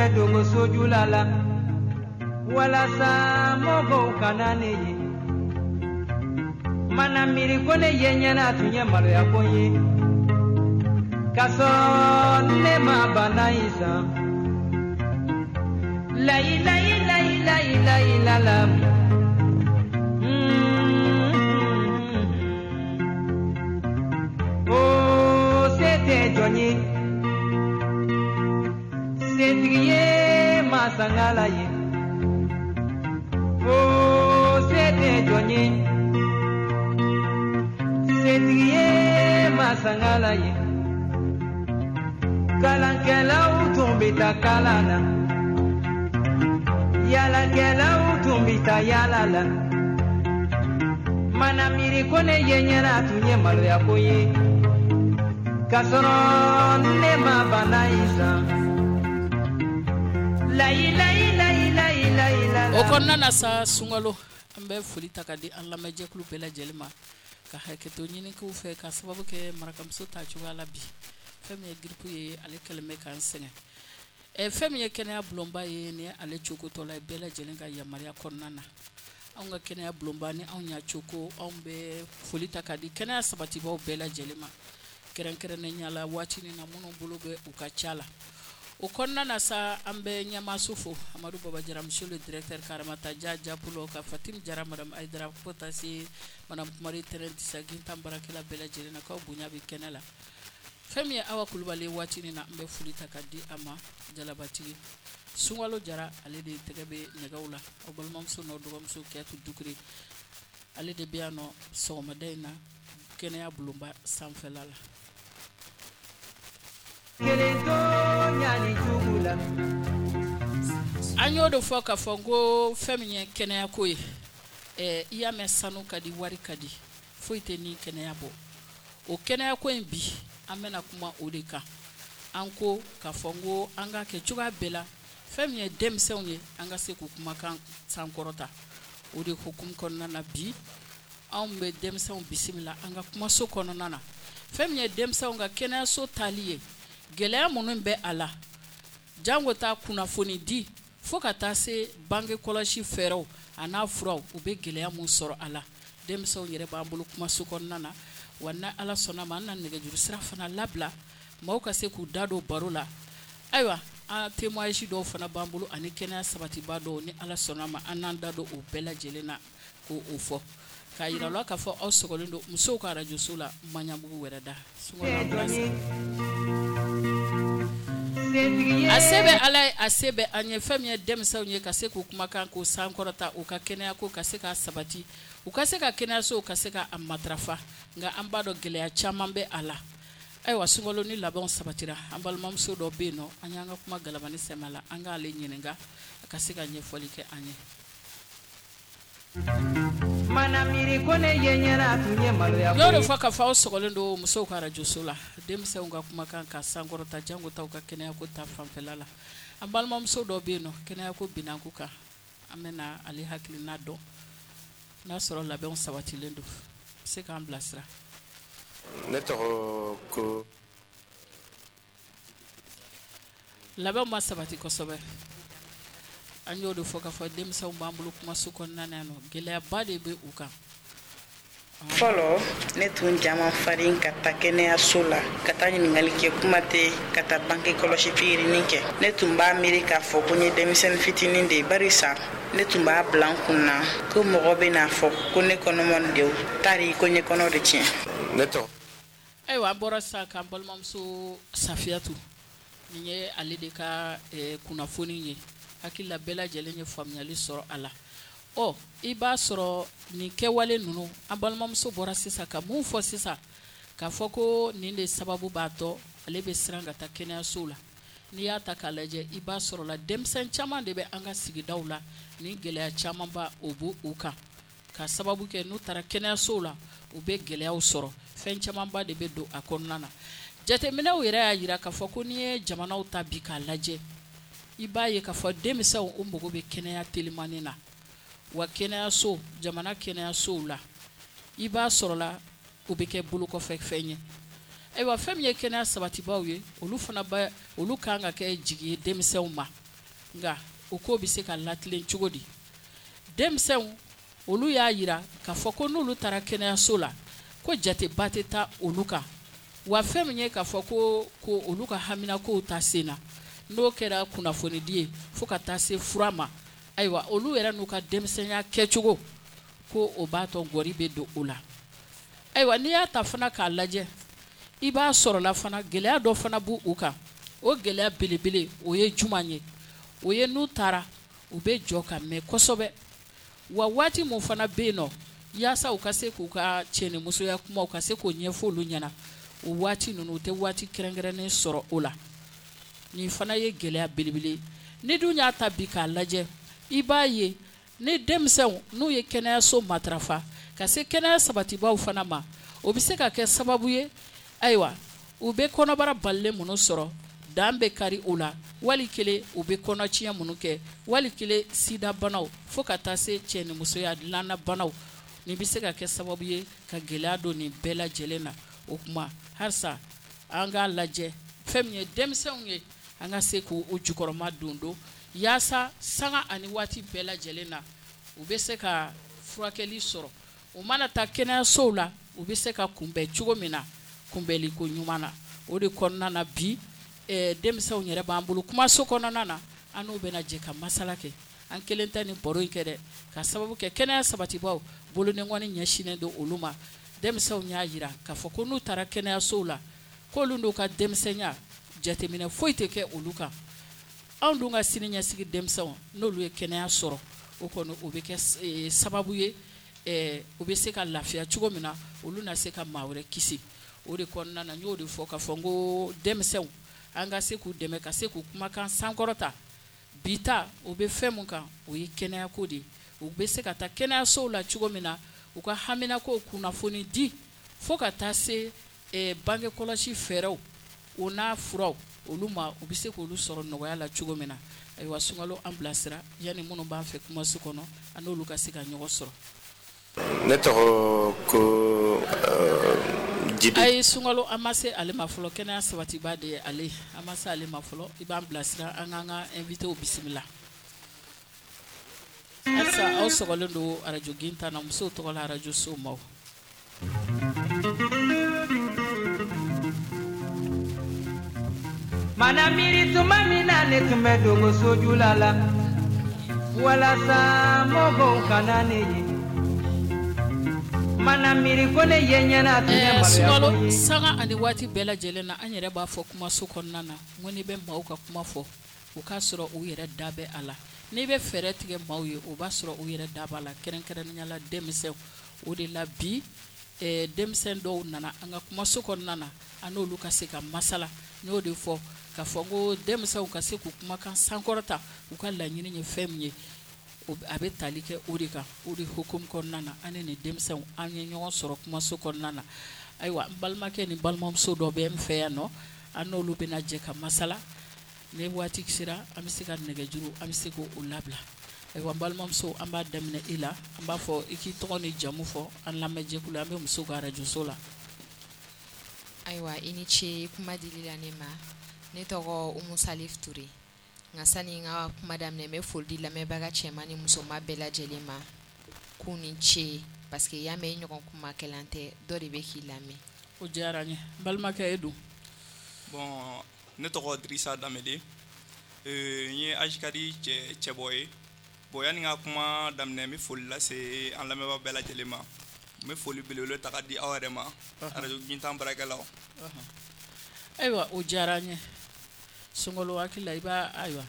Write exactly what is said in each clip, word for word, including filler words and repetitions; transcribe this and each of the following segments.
yɛrɛ dogo sojula la walasa mɔgɔw kana ne ye. Mana miiri ko ne ye ɲɛna tun ye maloya ko ye, k'a sɔrɔ ne ma bana in san. Layi layi layi layi layi la la. Oh, se tɛ jɔn ye, setigi ye masangala ye. Oh, se tɛ jɔn ye, setigi ye masangala ye. Kalankɛlaw tun bɛ taa kalan na, yaalakɛlaw tun bɛ taa yaala la. Mana miiri ko ne ye ɲɛna tun ye maloya ko ye, k'a sɔrɔ ne ma bana in san. Layi layi layi layi layi la. O kɔnɔna na sa, sunkalo, an bɛ foli ta ka di an lamɛnjɛkulu bɛɛ lajɛlen ma, ka hakɛto ɲini k'u fɛ ka sababu kɛ marakamuso ta cogoya la bi. Fɛn min ye grippe ye, ale kɛlen bɛ k'an sɛgɛn. Ɛ fɛn min ye kɛnɛya bulonba ye, ni ale cokotɔ la ye bɛɛ lajɛlen ka yamaruya kɔnɔna na. Anw ka kɛnɛya bulonba ni anw y'a coko, anw bɛ foli ta ka di kɛnɛya sabatibaw bɛɛ lajɛlen ma, kɛrɛnkɛrɛnnenya la waati ni na minnu bolo bɛ u ka ca la. O kɔnɔna na sa, an bɛ ɲɛmaaso fo, Amadu Baba Jara, monsieur le directeur, Karamata Ja Japulo, ka Fatim Jara, madame Aydara, fo taa se madame Kumari Tɛrɛn Disa Gintan baarakɛla bɛɛ lajɛlen na, k'aw bonya bɛ kɛnɛ la. Fɛn min ye Awa Kulubali waati ni na, an bɛ foli ta ka di a ma. Jalabatigi Sunkalo Jara, ale de tɛgɛ bɛ nɛgɛw la. Aw balimamuso n'aw dɔgɔmuso Kiyatu Dukure, ale de bɛ yan nɔ sɔgɔmada in na kɛnɛya bulonba sanfɛla la. An y'o de fɔ k'a fɔ ko fɛn min ye kɛnɛyako ye, i y'a mɛn sanu ka di, wari ka di, foyi tɛ ni kɛnɛya bɔ. O kɛnɛyako in bi, an bɛna kuma o de kan. An ko k'a fɔ n ko an ka kɛ cogoya bɛɛ la, fɛn min ye denmisɛnw ye, an ka se k'u kumakan sankɔrɔta. O de hukumu kɔnɔna na bi, anw bɛ denmisɛnw bisimila an ka kumaso kɔnɔna na. Fɛn min ye denmisɛnw ka kɛnɛyaso taali ye, gɛlɛya minnu bɛ a la, jango taa kunnafoni di fo ka taa se bange kɔlɔsi fɛɛrɛw a n'a furaw, u bɛ gɛlɛya mun sɔrɔ a la. Denmisɛnw yɛrɛ b'an bolo kumaso kɔnɔna na, wa ni Ala sɔnna ma, an na nɛgɛjuru sira fana labila maaw ka se k'u da don baro la. Ayiwa, an témoignage dɔw fana b'an bolo ani kɛnɛya sabatiba dɔw, ni Ala sɔnna ma, an n'an da don o bɛɛ lajɛlen na k'o fɔ, k'a yira la k'a fɔ aw sɔgɔlen don musow ka arajoso la Maɲanbugu wɛrɛ da. A se bɛ Ala ye, a se bɛ an ye. Fɛn min ye denmisɛnw ye, ka se k'u kumakan k'u sankɔrɔta, u ka kɛnɛya ko ka se k'a sabati, u ka se ka kɛnɛyaso ka se ka a matarafa. Nka an b'a dɔn gɛlɛya caman bɛ a la. Ayiwa, sunkalo ni labɛnw sabatira, an balimamuso dɔ bɛ yen nɔ, an y'an ka kuma galabani sɛmɛ la, an k'ale ɲininka a ka se ka ɲɛfɔli kɛ an ye. Mana miiri ko ne ye ɲɛna tun ye maloya. Y'o de fɔ k'a fɔ aw sɔgɔlen don musow ka arajoso la, denmisɛnw ka kumakan ka sankɔrɔta, jango taw ka kɛnɛyako ta fanfɛla la. An balimamuso dɔ bɛ yen nɔ, kɛnɛyako binanku kan, an bɛna ale hakilina dɔn n'a sɔrɔ labɛnw sabatilen don, se k'an bilasira. Ne tɔgɔ ko labɛnw ma sabati kosɛbɛ. An y'o de fɔ k'a fɔ denmisɛnw b'an bolo kumaso kɔnɔna na yan nɔ, gɛlɛyaba de bɛ u kan. Fɔlɔ, ne tun jama farin ka taa kɛnɛyaso la, ka taa ɲininkali kɛ, kuma tɛ ka taa bange kɔlɔsi pikirinin kɛ. Ne tun b'a miiri k'a fɔ ko n ye denmisɛnnin fitinin de ye, barisa ne tun b'a bila n kun na ko mɔgɔ bɛ n'a fɔ ko ne kɔnɔma de tari ko n ye kɔnɔ de tiɲɛ. Ne tɔgɔ. Ayiwa, an bɔra sisan k'an balimamuso Safiyatu, nin ye ale de ka kunnafoni ye. Hakili la bɛɛ lajɛlen ye faamuyali sɔrɔ a la. Ɔ, i b'a sɔrɔ nin kɛwale ninnu, an balimamuso bɔra sisan ka mun fɔ sisan, k'a fɔ ko nin de sababu b'a tɔ ale bɛ siran ka taa kɛnɛyaso la. N'i y'a ta k'a lajɛ, i b'a sɔrɔ la denmisɛn caman de bɛ an ka sigidaw la, nin gɛlɛya caman ba o b'u u kan, ka sababu kɛ n'u taara kɛnɛyaso la, u bɛ gɛlɛyaw sɔrɔ. Fɛn camanba de bɛ don a kɔnɔna na. Jateminɛw yɛrɛ y'a jira k'a fɔ ko n'i ye jamanaw ta bi k'a lajɛ, i b'a ye k'a fɔ denmisɛnw u mago bɛ kɛnɛya telimani na. Wa kɛnɛyaso, jamana kɛnɛyasow la, i b'a sɔrɔ la o bɛ kɛ bolokɔfɛ fɛn ye. Ayiwa, fɛn min ye kɛnɛya sabatibaw ye, olu fana bɛ, olu kan ka kɛ jigi ye denmisɛnw ma. Nka o ko bɛ se ka latilen cogo di? Denmisɛnw olu y'a jira k'a fɔ ko n'olu taara kɛnɛyaso la ko jateba tɛ taa olu kan, wa fɛn min ye k'a fɔ ko ko olu ka haminakow ta sen na, n'o kɛra kunnafonidi ye fo ka taa se fura ma, ayiwa olu yɛrɛ n'u ka denmisɛnya kɛcogo ko o b'a tɔ gɔri bɛ don o la. Ayiwa n'i y'a ta fana k'a lajɛ, i b'a sɔrɔla fana gɛlɛya dɔ fana b'u u kan. O gɛlɛya belebele o ye jumɛn ye? O ye n'u taara u bɛ jɔ ka mɛn kosɛbɛ, wa waati mun fana bɛ yen nɔ yaasa u ka se k'u ka cɛnimusoya kumaw ka se k'o ɲɛfɔ olu ɲɛna, o waati ninnu u tɛ waati kɛrɛnkɛrɛnnen sɔrɔ o la. Nin fana ye gɛlɛya belebele. Ni dun y'a ta bi k'a lajɛ, i b'a ye ni denmisɛnw n'u ye kɛnɛyaso matarafa ka se kɛnɛya sabatibaw fana ma, o bɛ se ka kɛ sababu ye, ayiwa u bɛ kɔnɔbara balilen minnu sɔrɔ, dan bɛ kari o la, wali kelen u bɛ kɔnɔtiɲɛ minnu kɛ, wali kelen sidabanaw fo ka taa se cɛnimusoya dilannabanaw. Nin bɛ se ka kɛ sababu ye ka gɛlɛya don nin bɛɛ lajɛlen na. O tuma halisa an k'a lajɛ fɛn min ye denmisɛnw ye, an ka se k'u jukɔrɔma don don yaasa sanga ani waati bɛɛ lajɛlen na u bɛ se ka furakɛli sɔrɔ. U mana taa kɛnɛyasow la, u bɛ se ka kunbɛn cogo min na, kunbɛnliko ɲuman na. O de kɔnɔna na bi denmisɛnw yɛrɛ b'an bolo kumaso kɔnɔna na, an n'u bɛna jɛ ka masala kɛ. An kelen tɛ nin baro in kɛ dɛ, ka sababu kɛ kɛnɛya sabatibaw bolodenkɔni ɲɛsinnen don olu ma. Denmisɛnw y'a jira k'a fɔ ko n'u taara kɛnɛyasow la, k'olu n'u ka denmisɛnya jateminɛ foyi tɛ kɛ olu kan. Anw dun ka sini ɲɛsigi denmisɛnw n'olu ye kɛnɛya sɔrɔ, o kɔni o bɛ kɛ sababu ye u bɛ se ka lafiya cogo min na, olu na se ka maa wɛrɛ kisi. O de kɔnɔna na n y'o de fɔ k'a fɔ n ko denmisɛnw an ka se k'u dɛmɛ ka se k'u kumakan sankɔrɔta. Bi ta o bɛ fɛn mun kan, o ye kɛnɛyako de ye. U bɛ se ka taa kɛnɛyasow la cogo min na, u ka haminako kunnafoni di fo ka taa se bange kɔlɔsi fɛɛrɛw o n'a furaw olu ma, u bɛ se k'olu sɔrɔ nɔgɔya la cogo min na. Ayiwa Sunkalo an bilasira yanni minnu b'an fɛ kumaso kɔnɔ, an n'olu ka se ka ɲɔgɔn sɔrɔ. Ne tɔgɔ ko Jibi. Ayi Sunkalo an ma se ale ma fɔlɔ, kɛnɛya sabatiba de ye ale, an ma se ale ma fɔlɔ. I b'an bilasira an k'an ka invité bisimila. Halisa aw sɔgɔlen don arajo Gintan na, musow tɔgɔ la arajo Somaw. Mana miiri tuma min na ne tun bɛ dogo sojula la, walasa mɔgɔw kana ne ye. Mana miiri ko ne ye ɲɛna tun ye maloya ko ye. Sanga ani waati bɛɛ lajɛlen na, an yɛrɛ b'a fɔ kumaso kɔnɔna na, n ko n'i bɛ maaw ka kuma fɔ, o k'a sɔrɔ u yɛrɛ da bɛ a la. N'i bɛ fɛɛrɛ tigɛ maaw ye, o b'a sɔrɔ u yɛrɛ da b'a la, kɛrɛnkɛrɛnnenya la denmisɛnw. O de la bi denmisɛn dɔw nana an ka kumaso kɔnɔna na, an n'olu ka se ka masala. N y'o de fɔ k'a fɔ ko denmisɛnw ka se k'u kumakan sankɔrɔta, u ka laɲini ye fɛn min ye, a bɛ tali kɛ o de kan. O de hukumu kɔnɔna na, an ni denmisɛnw an ye ɲɔgɔn sɔrɔ kumaso kɔnɔna na. Ayiwa n balimakɛ ni balimamuso dɔ bɛ n fɛ yan nɔ, an n'olu bɛna jɛ ka masala. Ni waati sera, an bɛ se ka nɛgɛjuru, an bɛ se k'o labila. Ayiwa n balimamuso, an b'a daminɛ i la. An b'a fɔ i k'i tɔgɔ ni jamu fɔ an lamɛnjɛkulu, an bɛ muso ka arajoso la. Ayiwa i ni ce kuma dili la ne ma. Ne tɔgɔ Umu Salif Ture. Nka sani n ka kuma daminɛ, n bɛ foli di lamɛnbaga cɛman ni musoman bɛɛ lajɛlen ma k'u ni ce, parce que y'a mɛn i ɲɔgɔn kumakɛlan tɛ, dɔ de bɛ k'i lamɛn. O diyara n ye. N balimakɛ, e dun? Bon, ne tɔgɔ Dirisa Danbele, n ye Ajikadi cɛ cɛbɔ ye. Bon, yanni n ka kuma daminɛ, n bɛ foli lase an lamɛnbaa bɛɛ lajɛlen ma. N bɛ foli belebele ta ka di aw yɛrɛ ma, arajo Gintan baarakɛlaw. Ayiwa o diyara n ye. Sunkalo hakili la i b'a, ayiwa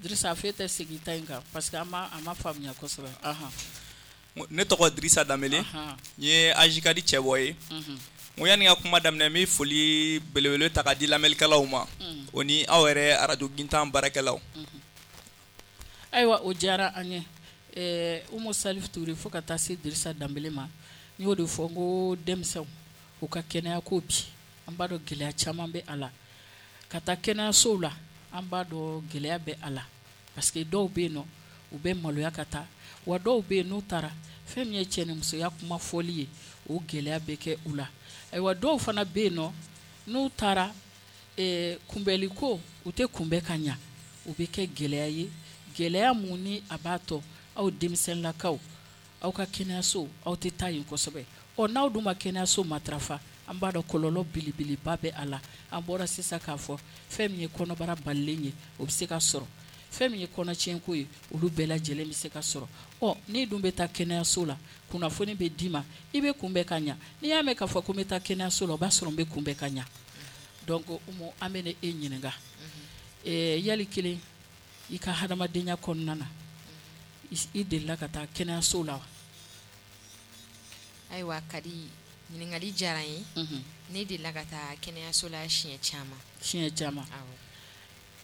Dirisa f'e tɛ segin ta in kan parce que an ma a ma faamuya kosɛbɛ. Ne tɔgɔ Dirisa Danbele, n ye Ajikadi cɛbɔ ye. N ko yanni n ka kuma daminɛ, n bɛ foli belebele ta ka di lamɛnnikɛlaw ma, o ni aw yɛrɛ arajo Gintan baarakɛlaw. Ayiwa o diyara an ye. Umu Salif Ture fo ka taa se Dirisa Danbele ma, n y'o de fɔ n ko denmisɛnw u ka kɛnɛya ko bi, an b'a dɔn gɛlɛya caman bɛ a la. Ka taa kɛnɛyasow la, an b'a dɔn gɛlɛya bɛ a la, parce que dɔw bɛ yen nɔ u bɛ maloya ka taa, wa dɔw bɛ yen n'u taara fɛn min ye cɛnimusoya kuma fɔli ye, o gɛlɛya bɛ kɛ u la. Ayiwa dɔw fana bɛ yen nɔ n'u taara kunbɛliko, u tɛ kunbɛn ka ɲa, O bɛ kɛ gɛlɛya ye, gɛlɛya mun ni a b'a tɔ aw denmisɛnlakaw, aw ka kɛnɛyaso, aw tɛ taa yen kosɛbɛ. Ɔ n'aw dun ma kɛnɛyaso matarafa, an b'a dɔn kɔlɔlɔ belebeleba bɛ a la. An bɔra sisan k'a fɔ fɛn min ye kɔnɔbara balilen ye, o bɛ se ka sɔrɔ. Fɛn min ye kɔnɔtiɲɛko ye, olu bɛɛ lajɛlen bɛ se ka sɔrɔ. Ɔ n'i dun bɛ taa kɛnɛyaso la, kunnafoni bɛ d'i ma, i bɛ kunbɛn ka ɲa. N'i y'a mɛn k'a fɔ ko n bɛ taa kɛnɛyaso la, o b'a sɔrɔ n bɛ kunbɛn ka ɲa. Donc Umu, an bɛ e ɲininka, ɛɛ yali kelen i ka hadamadenya kɔnɔna na, i delila ka taa kɛnɛyaso la wa? Ayiwa Kadi, ɲininkali diyara n ye. Ne delila ka taa kɛnɛyaso la siɲɛ caman. Siɲɛ caman. Awɔ.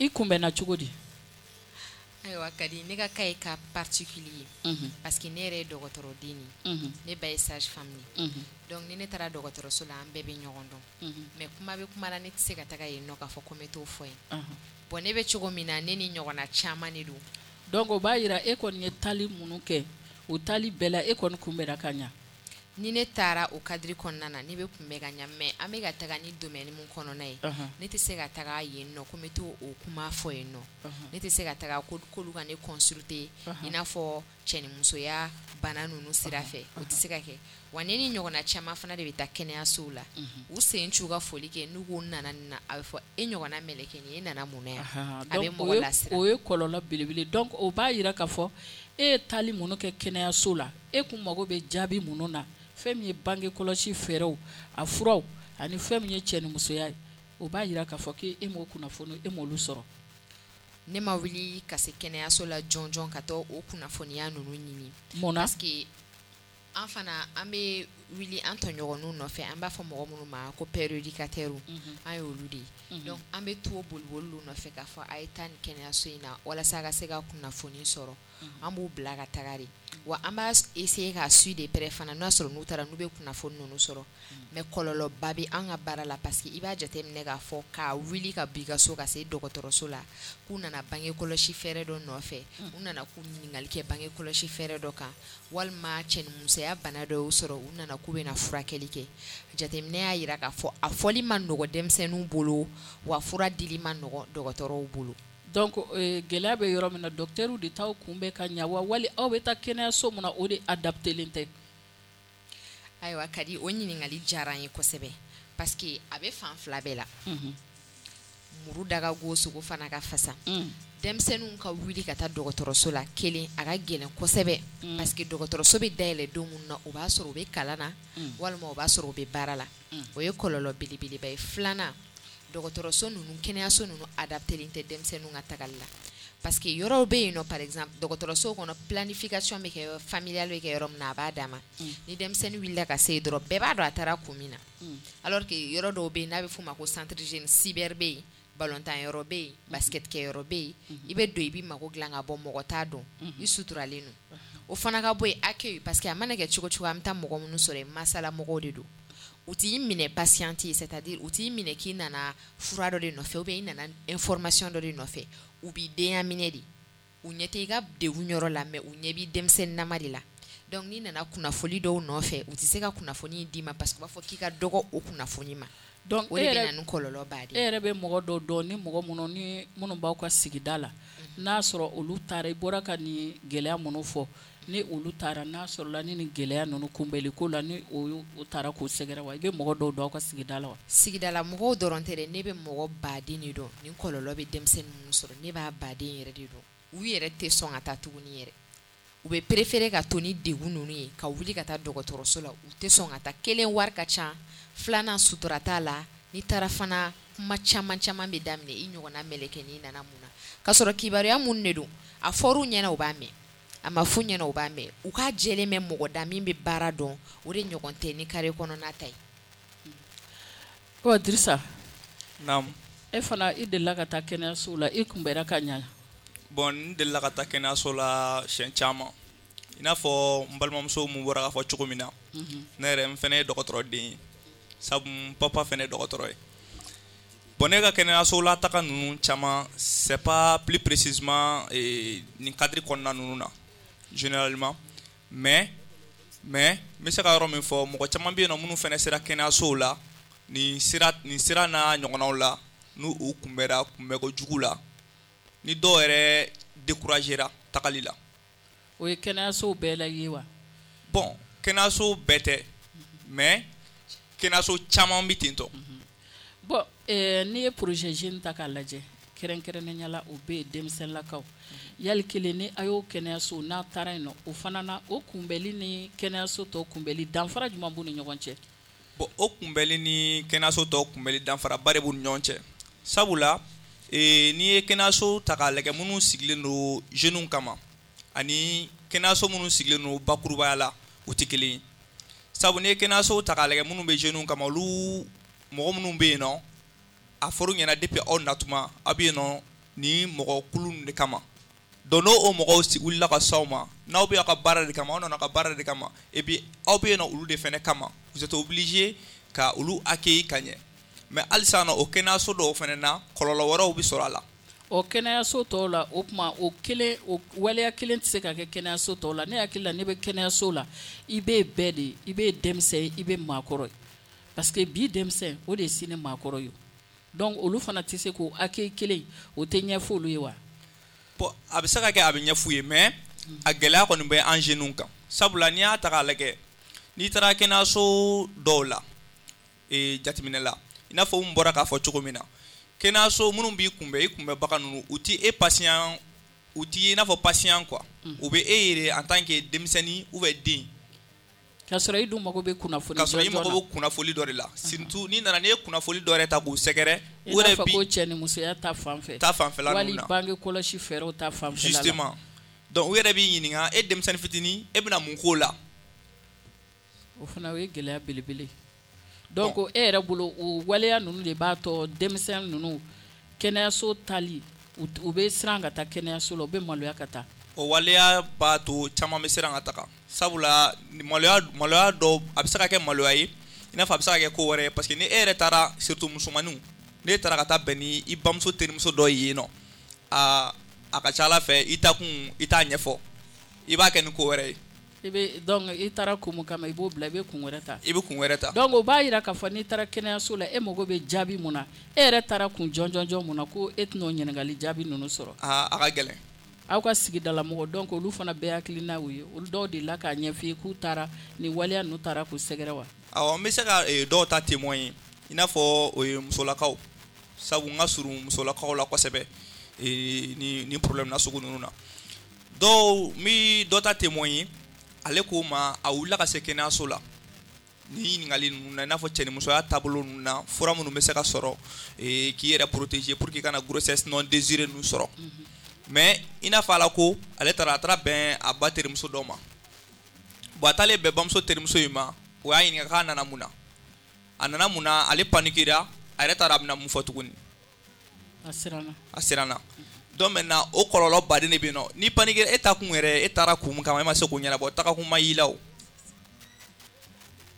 I kunbɛnna cogo di? Ayiwa Kadi, ne ka cas ye cas particulier ye. Parce que ne yɛrɛ ye dɔgɔtɔrɔden de ye. Ne ba ye sage femme de ye. Donc ni ne taara dɔgɔtɔrɔso la, an bɛɛ bɛ ɲɔgɔn dɔn. Mais kuma bɛ kuma la, ne tɛ se ka taga yen nɔ k'a fɔ ko n bɛ t'o fɔ yen. Bon ne bɛ cogo min na, ne ni ɲɔgɔnna caman de don. Donc o b'a jira e kɔni ye taali minnu kɛ, o taali bɛɛ la e kɔni kunbɛnna ka ɲa. Ni ne taara o cadre kɔnɔna na, ne bɛ kunbɛn ka ɲa, mais an bɛ ka taga ni domaine min kɔnɔna ye, ne tɛ se ka taga yen nɔ ko n bɛ t'o kuma fɔ yen nɔ. Ne tɛ se ka taga k'olu ka ne consulter i n'a fɔ cɛnimusoya bana ninnu sira fɛ, o tɛ se ka kɛ. Wa ne ni ɲɔgɔnna caman fana de bɛ taa kɛnɛyasow la. U sen c'u ka foli kɛ, n'u ko nana nin na, a bɛ fɔ e ɲɔgɔnna mɛlɛkɛnin, e nana mun na yan? A bɛ mɔgɔ lasiran. O ye kɔlɔlɔ belebele. Donc o b'a jira k'a fɔ e ye taali minnu kɛ kɛnɛyaso la, e kun mago bɛ jaabi minnu na, fɛn min ye bange kɔlɔsi fɛɛrɛw, a furaw ani fɛn min ye cɛnimusoya ye, o b'a jira k'a fɔ k'e m'o kunnafoni, e m'olu sɔrɔ. Ne ma wuli ka se kɛnɛyaso la jɔnjɔn ka taa o kunnafoniya ninnu ɲini. Mun na? Parce que an fana an bɛ wuli an tɔɲɔgɔnw nɔfɛ, an b'a fɔ mɔgɔ minnu ma ko père éducateur, an y'olu de ye. Donc an bɛ to boliboli nɔfɛ k'a fɔ a ye taa nin kɛnɛyaso in na walasa ka se ka kunnafoni sɔrɔ. An b'u bila ka taga de. Wa an b'a essayer ka suivre de près fana, n'a sɔrɔ n'u taara n'u bɛ kunnafoni ninnu sɔrɔ. Mais kɔlɔlɔba bɛ an ka baara la, parce que i b'a jateminɛ k'a fɔ k'a wuli ka bɔ i ka so ka se dɔgɔtɔrɔso la, k'u nana bange kɔlɔsi fɛɛrɛ dɔ nɔfɛ, u nana k'u ɲininkali kɛ bange kɔlɔsi fɛɛrɛ dɔ kan, walima cɛnimusoya bana dɔ y'u sɔrɔ, u nana k'u bɛna furakɛli kɛ. Jateminɛ y'a jira k'a fɔ a fɔli ma nɔgɔ denmisɛnninw bolo, wa fura dili ma nɔgɔ dɔgɔtɔrɔw bolo. Donc gɛlɛya bɛ yɔrɔ min na, docteur de t'aw kunbɛn ka ɲa wa, wali aw bɛ taa kɛnɛyaso min na, o de adapté len tɛ? Ayiwa Kadi, o ɲininkali diyara n ye kosɛbɛ, parce que a bɛ fan fila bɛɛ la. Muru da ka go, sogo fana ka fasa. Denmisɛnninw ka wuli ka taa dɔgɔtɔrɔso la, kelen a ka gɛlɛn kosɛbɛ, parce que dɔgɔtɔrɔso bɛ dayɛlɛ don min na, o b'a sɔrɔ u bɛ kalan na, walima o b'a sɔrɔ u bɛ baara la. O ye kɔlɔlɔ belebeleba ye. Filanan, dɔgɔtɔrɔso ninnu, kɛnɛyaso ninnu adapté len tɛ denmisɛnninw ka tagali la. Parce que yɔrɔw bɛ yen nɔ, par exemple dɔgɔtɔrɔso kɔnɔ, planification bɛ kɛ, familiale bɛ kɛ yɔrɔ min na, a b'a dama. Ni denmisɛnnin wulila ka se yen dɔrɔn, bɛɛ b'a dɔn a taara kun min na. Alors que yɔrɔ dɔw bɛ yen n'a bɛ f'o ma ko centre jeune, cyber bɛ yen, balontan yɔrɔ bɛ yen, basket kɛ yɔrɔ bɛ yen, i bɛ don i b'i mago dilan ka bɔ, mɔgɔ t'a dɔn, i suturalen don. O fana ka bɔ yen accueil, parce que a mana kɛ cogo cogo, an bɛ taa mɔgɔ minnu sɔrɔ yen, masala mɔgɔw de don. U t'i minɛ patiente ye, c'est-à-dire u t'i minɛ k'i nana fura dɔ de nɔfɛ, ou bien i nana information dɔ de nɔfɛ. U b'i denya minɛ de, u ɲɛ tɛ i ka degun yɔrɔ la, mais u ɲɛ b'i denmisɛnninnama de la. Donc n'i nana kunnafoni dɔw nɔfɛ, u tɛ se ka kunnafoni d'i ma, parce que u b'a fɔ k'i ka dɔgɔ o kunnafoni ma. Donc o de bɛ na ni kɔlɔlɔba de ye. E yɛrɛ bɛ mɔgɔ dɔw dɔn ni mɔgɔ minnu ni minnu b'aw ka sigida la, n'a sɔrɔ olu taara, i bɔra ka nin gɛlɛya minnu fɔ, ni olu taara, n'a sɔrɔla ni nin gɛlɛya ninnu kunbɛnli ko la, ni o taara k'o sɛgɛrɛ wa, i bɛ mɔgɔ dɔw dɔn aw ka sigida la wa? Sigidala mɔgɔw dɔrɔn tɛ dɛ, ne bɛ mɔgɔ baden de dɔn nin kɔlɔlɔ bɛ denmisɛnnin minnu sɔrɔ, ne b'a baden yɛrɛ de dɔn. U yɛrɛ tɛ sɔn ka taa tuguni yɛrɛ. U bɛ préférer ka to ni degun ninnu ye, ka wuli ka taa dɔgɔtɔrɔso la. U tɛ sɔn ka taa. Kelen, wari ka ca. Filanan, sutura t'a la. N'i taara fana, kuma caman caman bɛ daminɛ, i ɲɔgɔnna mɛlɛkɛnin nana mun na, k'a sɔrɔ kibaruya mun de don, a fɔr'u ɲɛna u b'a mɛn, a ma f'u ɲɛna u b'a mɛn. U k'a jɛlen bɛ mɔgɔ da min bɛ baara dɔn, o de ɲɔgɔn tɛ ni carré kɔnɔna ta ye. Ɔ Dirisa. Naamu. E fana, i delila ka taa kɛnɛyaso la, i kunbɛnna ka ɲa? Bon, n delila ka taa kɛnɛyaso la siɲɛ caman. I n'a fɔ n balimamuso mun bɔra k'a fɔ cogo min na, ne yɛrɛ n fana ye dɔgɔtɔrɔden ye, sabu n papa fana ye dɔgɔtɔrɔ ye. Bon, ne ka kɛnɛyaso la taga ninnu caman, c'est pas plus précisément nin cadre kɔnɔna ninnu na généralement, mais mais n bɛ se ka yɔrɔ min fɔ, mɔgɔ caman bɛ yen nɔ minnu fana sera kɛnɛyasow la nin sira nin sira n'a ɲɔgɔnnaw la, n'u u kunbɛra kunbɛko jugu la. Ni dɔw yɛrɛ découragera tagali la. O ye kɛnɛyasow bɛɛ la ye wa? Bon, kɛnɛyaso bɛɛ tɛ, mais kɛnɛyaso caman bɛ ten tɔ. Bon, eh, n'i ye projet jeune ta k'a lajɛ, kɛrɛnkɛrɛnnenya la, o bɛ yen denmisɛnninlakaw. Yali kelen ni a y'o kɛnɛyaso n'a taara yen nɔ, o fana na, o kunbɛli ni kɛnɛyaso tɔw kunbɛli, danfara jumɛn b'u ni ɲɔgɔn cɛ? Bon, o kunbɛli ni kɛnɛyaso tɔw kunbɛli, danfaraba de b'u ni ɲɔgɔn cɛ, sabula ee, n'i ye kɛnɛyaso ta k'a lajɛ minnu sigilen don jeunes kama ani kɛnɛyaso minnu sigilen don bakurubaya la, u tɛ kelen ye. Sabu n'i ye kɛnɛyaso ta k'a lajɛ minnu bɛ jeunes kama, olu mɔgɔ minnu bɛ yen nɔ, a fɔr'u ɲɛna depuis aw natuma aw bɛ yen nɔ ni mɔgɔ kulu de kama. Donc n'o o mɔgɔw wulila ka s'aw ma, n'aw bɛ aw ka baara de kama, aw nana ka baara de kama, et puis aw bɛ yen nɔ olu de fɛnɛ kama, vous êtes obligé ka olu accueillir ka ɲɛ. Mais halisa nɔ, o kɛnɛyaso dɔw fɛnɛ na, kɔlɔlɔ wɛrɛw bɛ sɔrɔ a la. O kɛnɛyaso tɔw la, o tuma o kelen, o waleya kelen tɛ se ka kɛ kɛnɛyaso tɔw la. Ne hakili la, ne bɛ kɛnɛyaso la, i bɛ bɛɛ de ye, i bɛ denmisɛn ye, i bɛ maakɔrɔ ye, parce que bi denmisɛn o de ye sini maakɔrɔ ye. Donc olu fana tɛ se k'o accueil kelen, o tɛ ɲɛfɔ olu ye wa? Bon, a bɛ se ka kɛ a bɛ ɲɛf'u ye, mais a gɛlɛya kɔni bɛ an jeunes kan, sabula n'i y'a ta k'a lajɛ, n'i taara kɛnɛyaso dɔw la, ee, jateminɛ la, i n'a fɔ n bɔra k'a fɔ cogo min na, kɛnɛyaso minnu b'i kunbɛn, i kunbɛnbaga ninnu, u ti e patient, u ti i n'a fɔ patient quoi, u bɛ e yɛrɛ en tant que denmisɛnnin ou bien den. K'a sɔrɔ i dun mago bɛ kunnafoni. K'a sɔrɔ i mago bɛ kunnafoni dɔ de la, surtout n'i nana, n'i ye kunnafoni dɔ yɛrɛ ta k'u sɛgɛrɛ. I n'a fɔ ko cɛ ni musoya ta fan fɛ. Ta fanfɛla ninnu na. Wali bange kɔlɔsi fɛɛrɛw ta fanfɛla la. Justement, donc u yɛrɛ b'i ɲininka, e denmisɛnnin fitinin, e bɛna mun k'o la? O fana o ye gɛlɛya belebele. Donc e yɛrɛ bolo, o waleya ninnu de b'a tɔ denmisɛn ninnu kɛnɛyaso tali, u bɛ siran ka taa kɛnɛyaso la, u bɛ maloya ka taa. O waleya b'a to caman bɛ siran ka taga, sabula maloya maloya dɔw, a bɛ se ka kɛ maloya ye, i n'a fɔ a bɛ se ka kɛ ko wɛrɛ ye, parce que ni e yɛrɛ taara, surtout musomaninw, n'e taara ka taa bɛn ni i bamuso terimuso dɔ ye yen nɔ, a a ka ca Ala fɛ, i ta kun i t'a ɲɛfɔ, i b'a kɛ ni ko wɛrɛ ye. I bɛ donc i taara kun mun kama, i b'o bila, i bɛ kun wɛrɛ ta. I bɛ kun wɛrɛ ta. Donc o b'a jira k'a fɔ n'i taara kɛnɛyaso la, e mago bɛ jaabi mun na, e yɛrɛ taara kun jɔnjɔnjɔn mun na, ko e tɛna o ɲininkali jaabi ninnu sɔrɔ. Aa, a ka gɛlɛn. Aw ka sigidala mɔgɔ, donc olu fana bɛɛ hakilina y'o ye, olu dɔw de la k'a ɲɛf'i ye k'u taara nin waleya ninnu taara k'u sɛgɛrɛ wa? Awɔ, n bɛ se ka dɔw ta témoin ye, i n'a fɔ o ye musolakaw, sabu n ka surun musolakaw la kosɛbɛ ni ni problème nasugu ninnu na. Dɔw n bɛ dɔ ta témoin ye, ale ko ma a wulila ka se kɛnɛyaso la ni ɲininkali ninnu na, i n'a fɔ cɛnimusoya taabolo ninnu na, fura minnu bɛ se ka sɔrɔ k'i yɛrɛ protéger pour que i kana grossesse non désirée ninnu sɔrɔ. Mais i n'a fɔ ala ko ale taara, a taara bɛn a ba terimuso dɔ ma. Bon, a taalen bɛn bamuso terimuso in ma, o y'a ɲininka k'a nana mun na. A nana mun na, ale paniquera, a yɛrɛ taara a bɛna mun fɔ tuguni. A siranna. A siranna. Donc maintenant o kɔlɔlɔ baden de bɛ yen nɔ. Ni paniquera, e ta kun yɛrɛ, e taara kun min kama, e ma se k'o ɲɛnabɔ, tagakun ma y'i la o.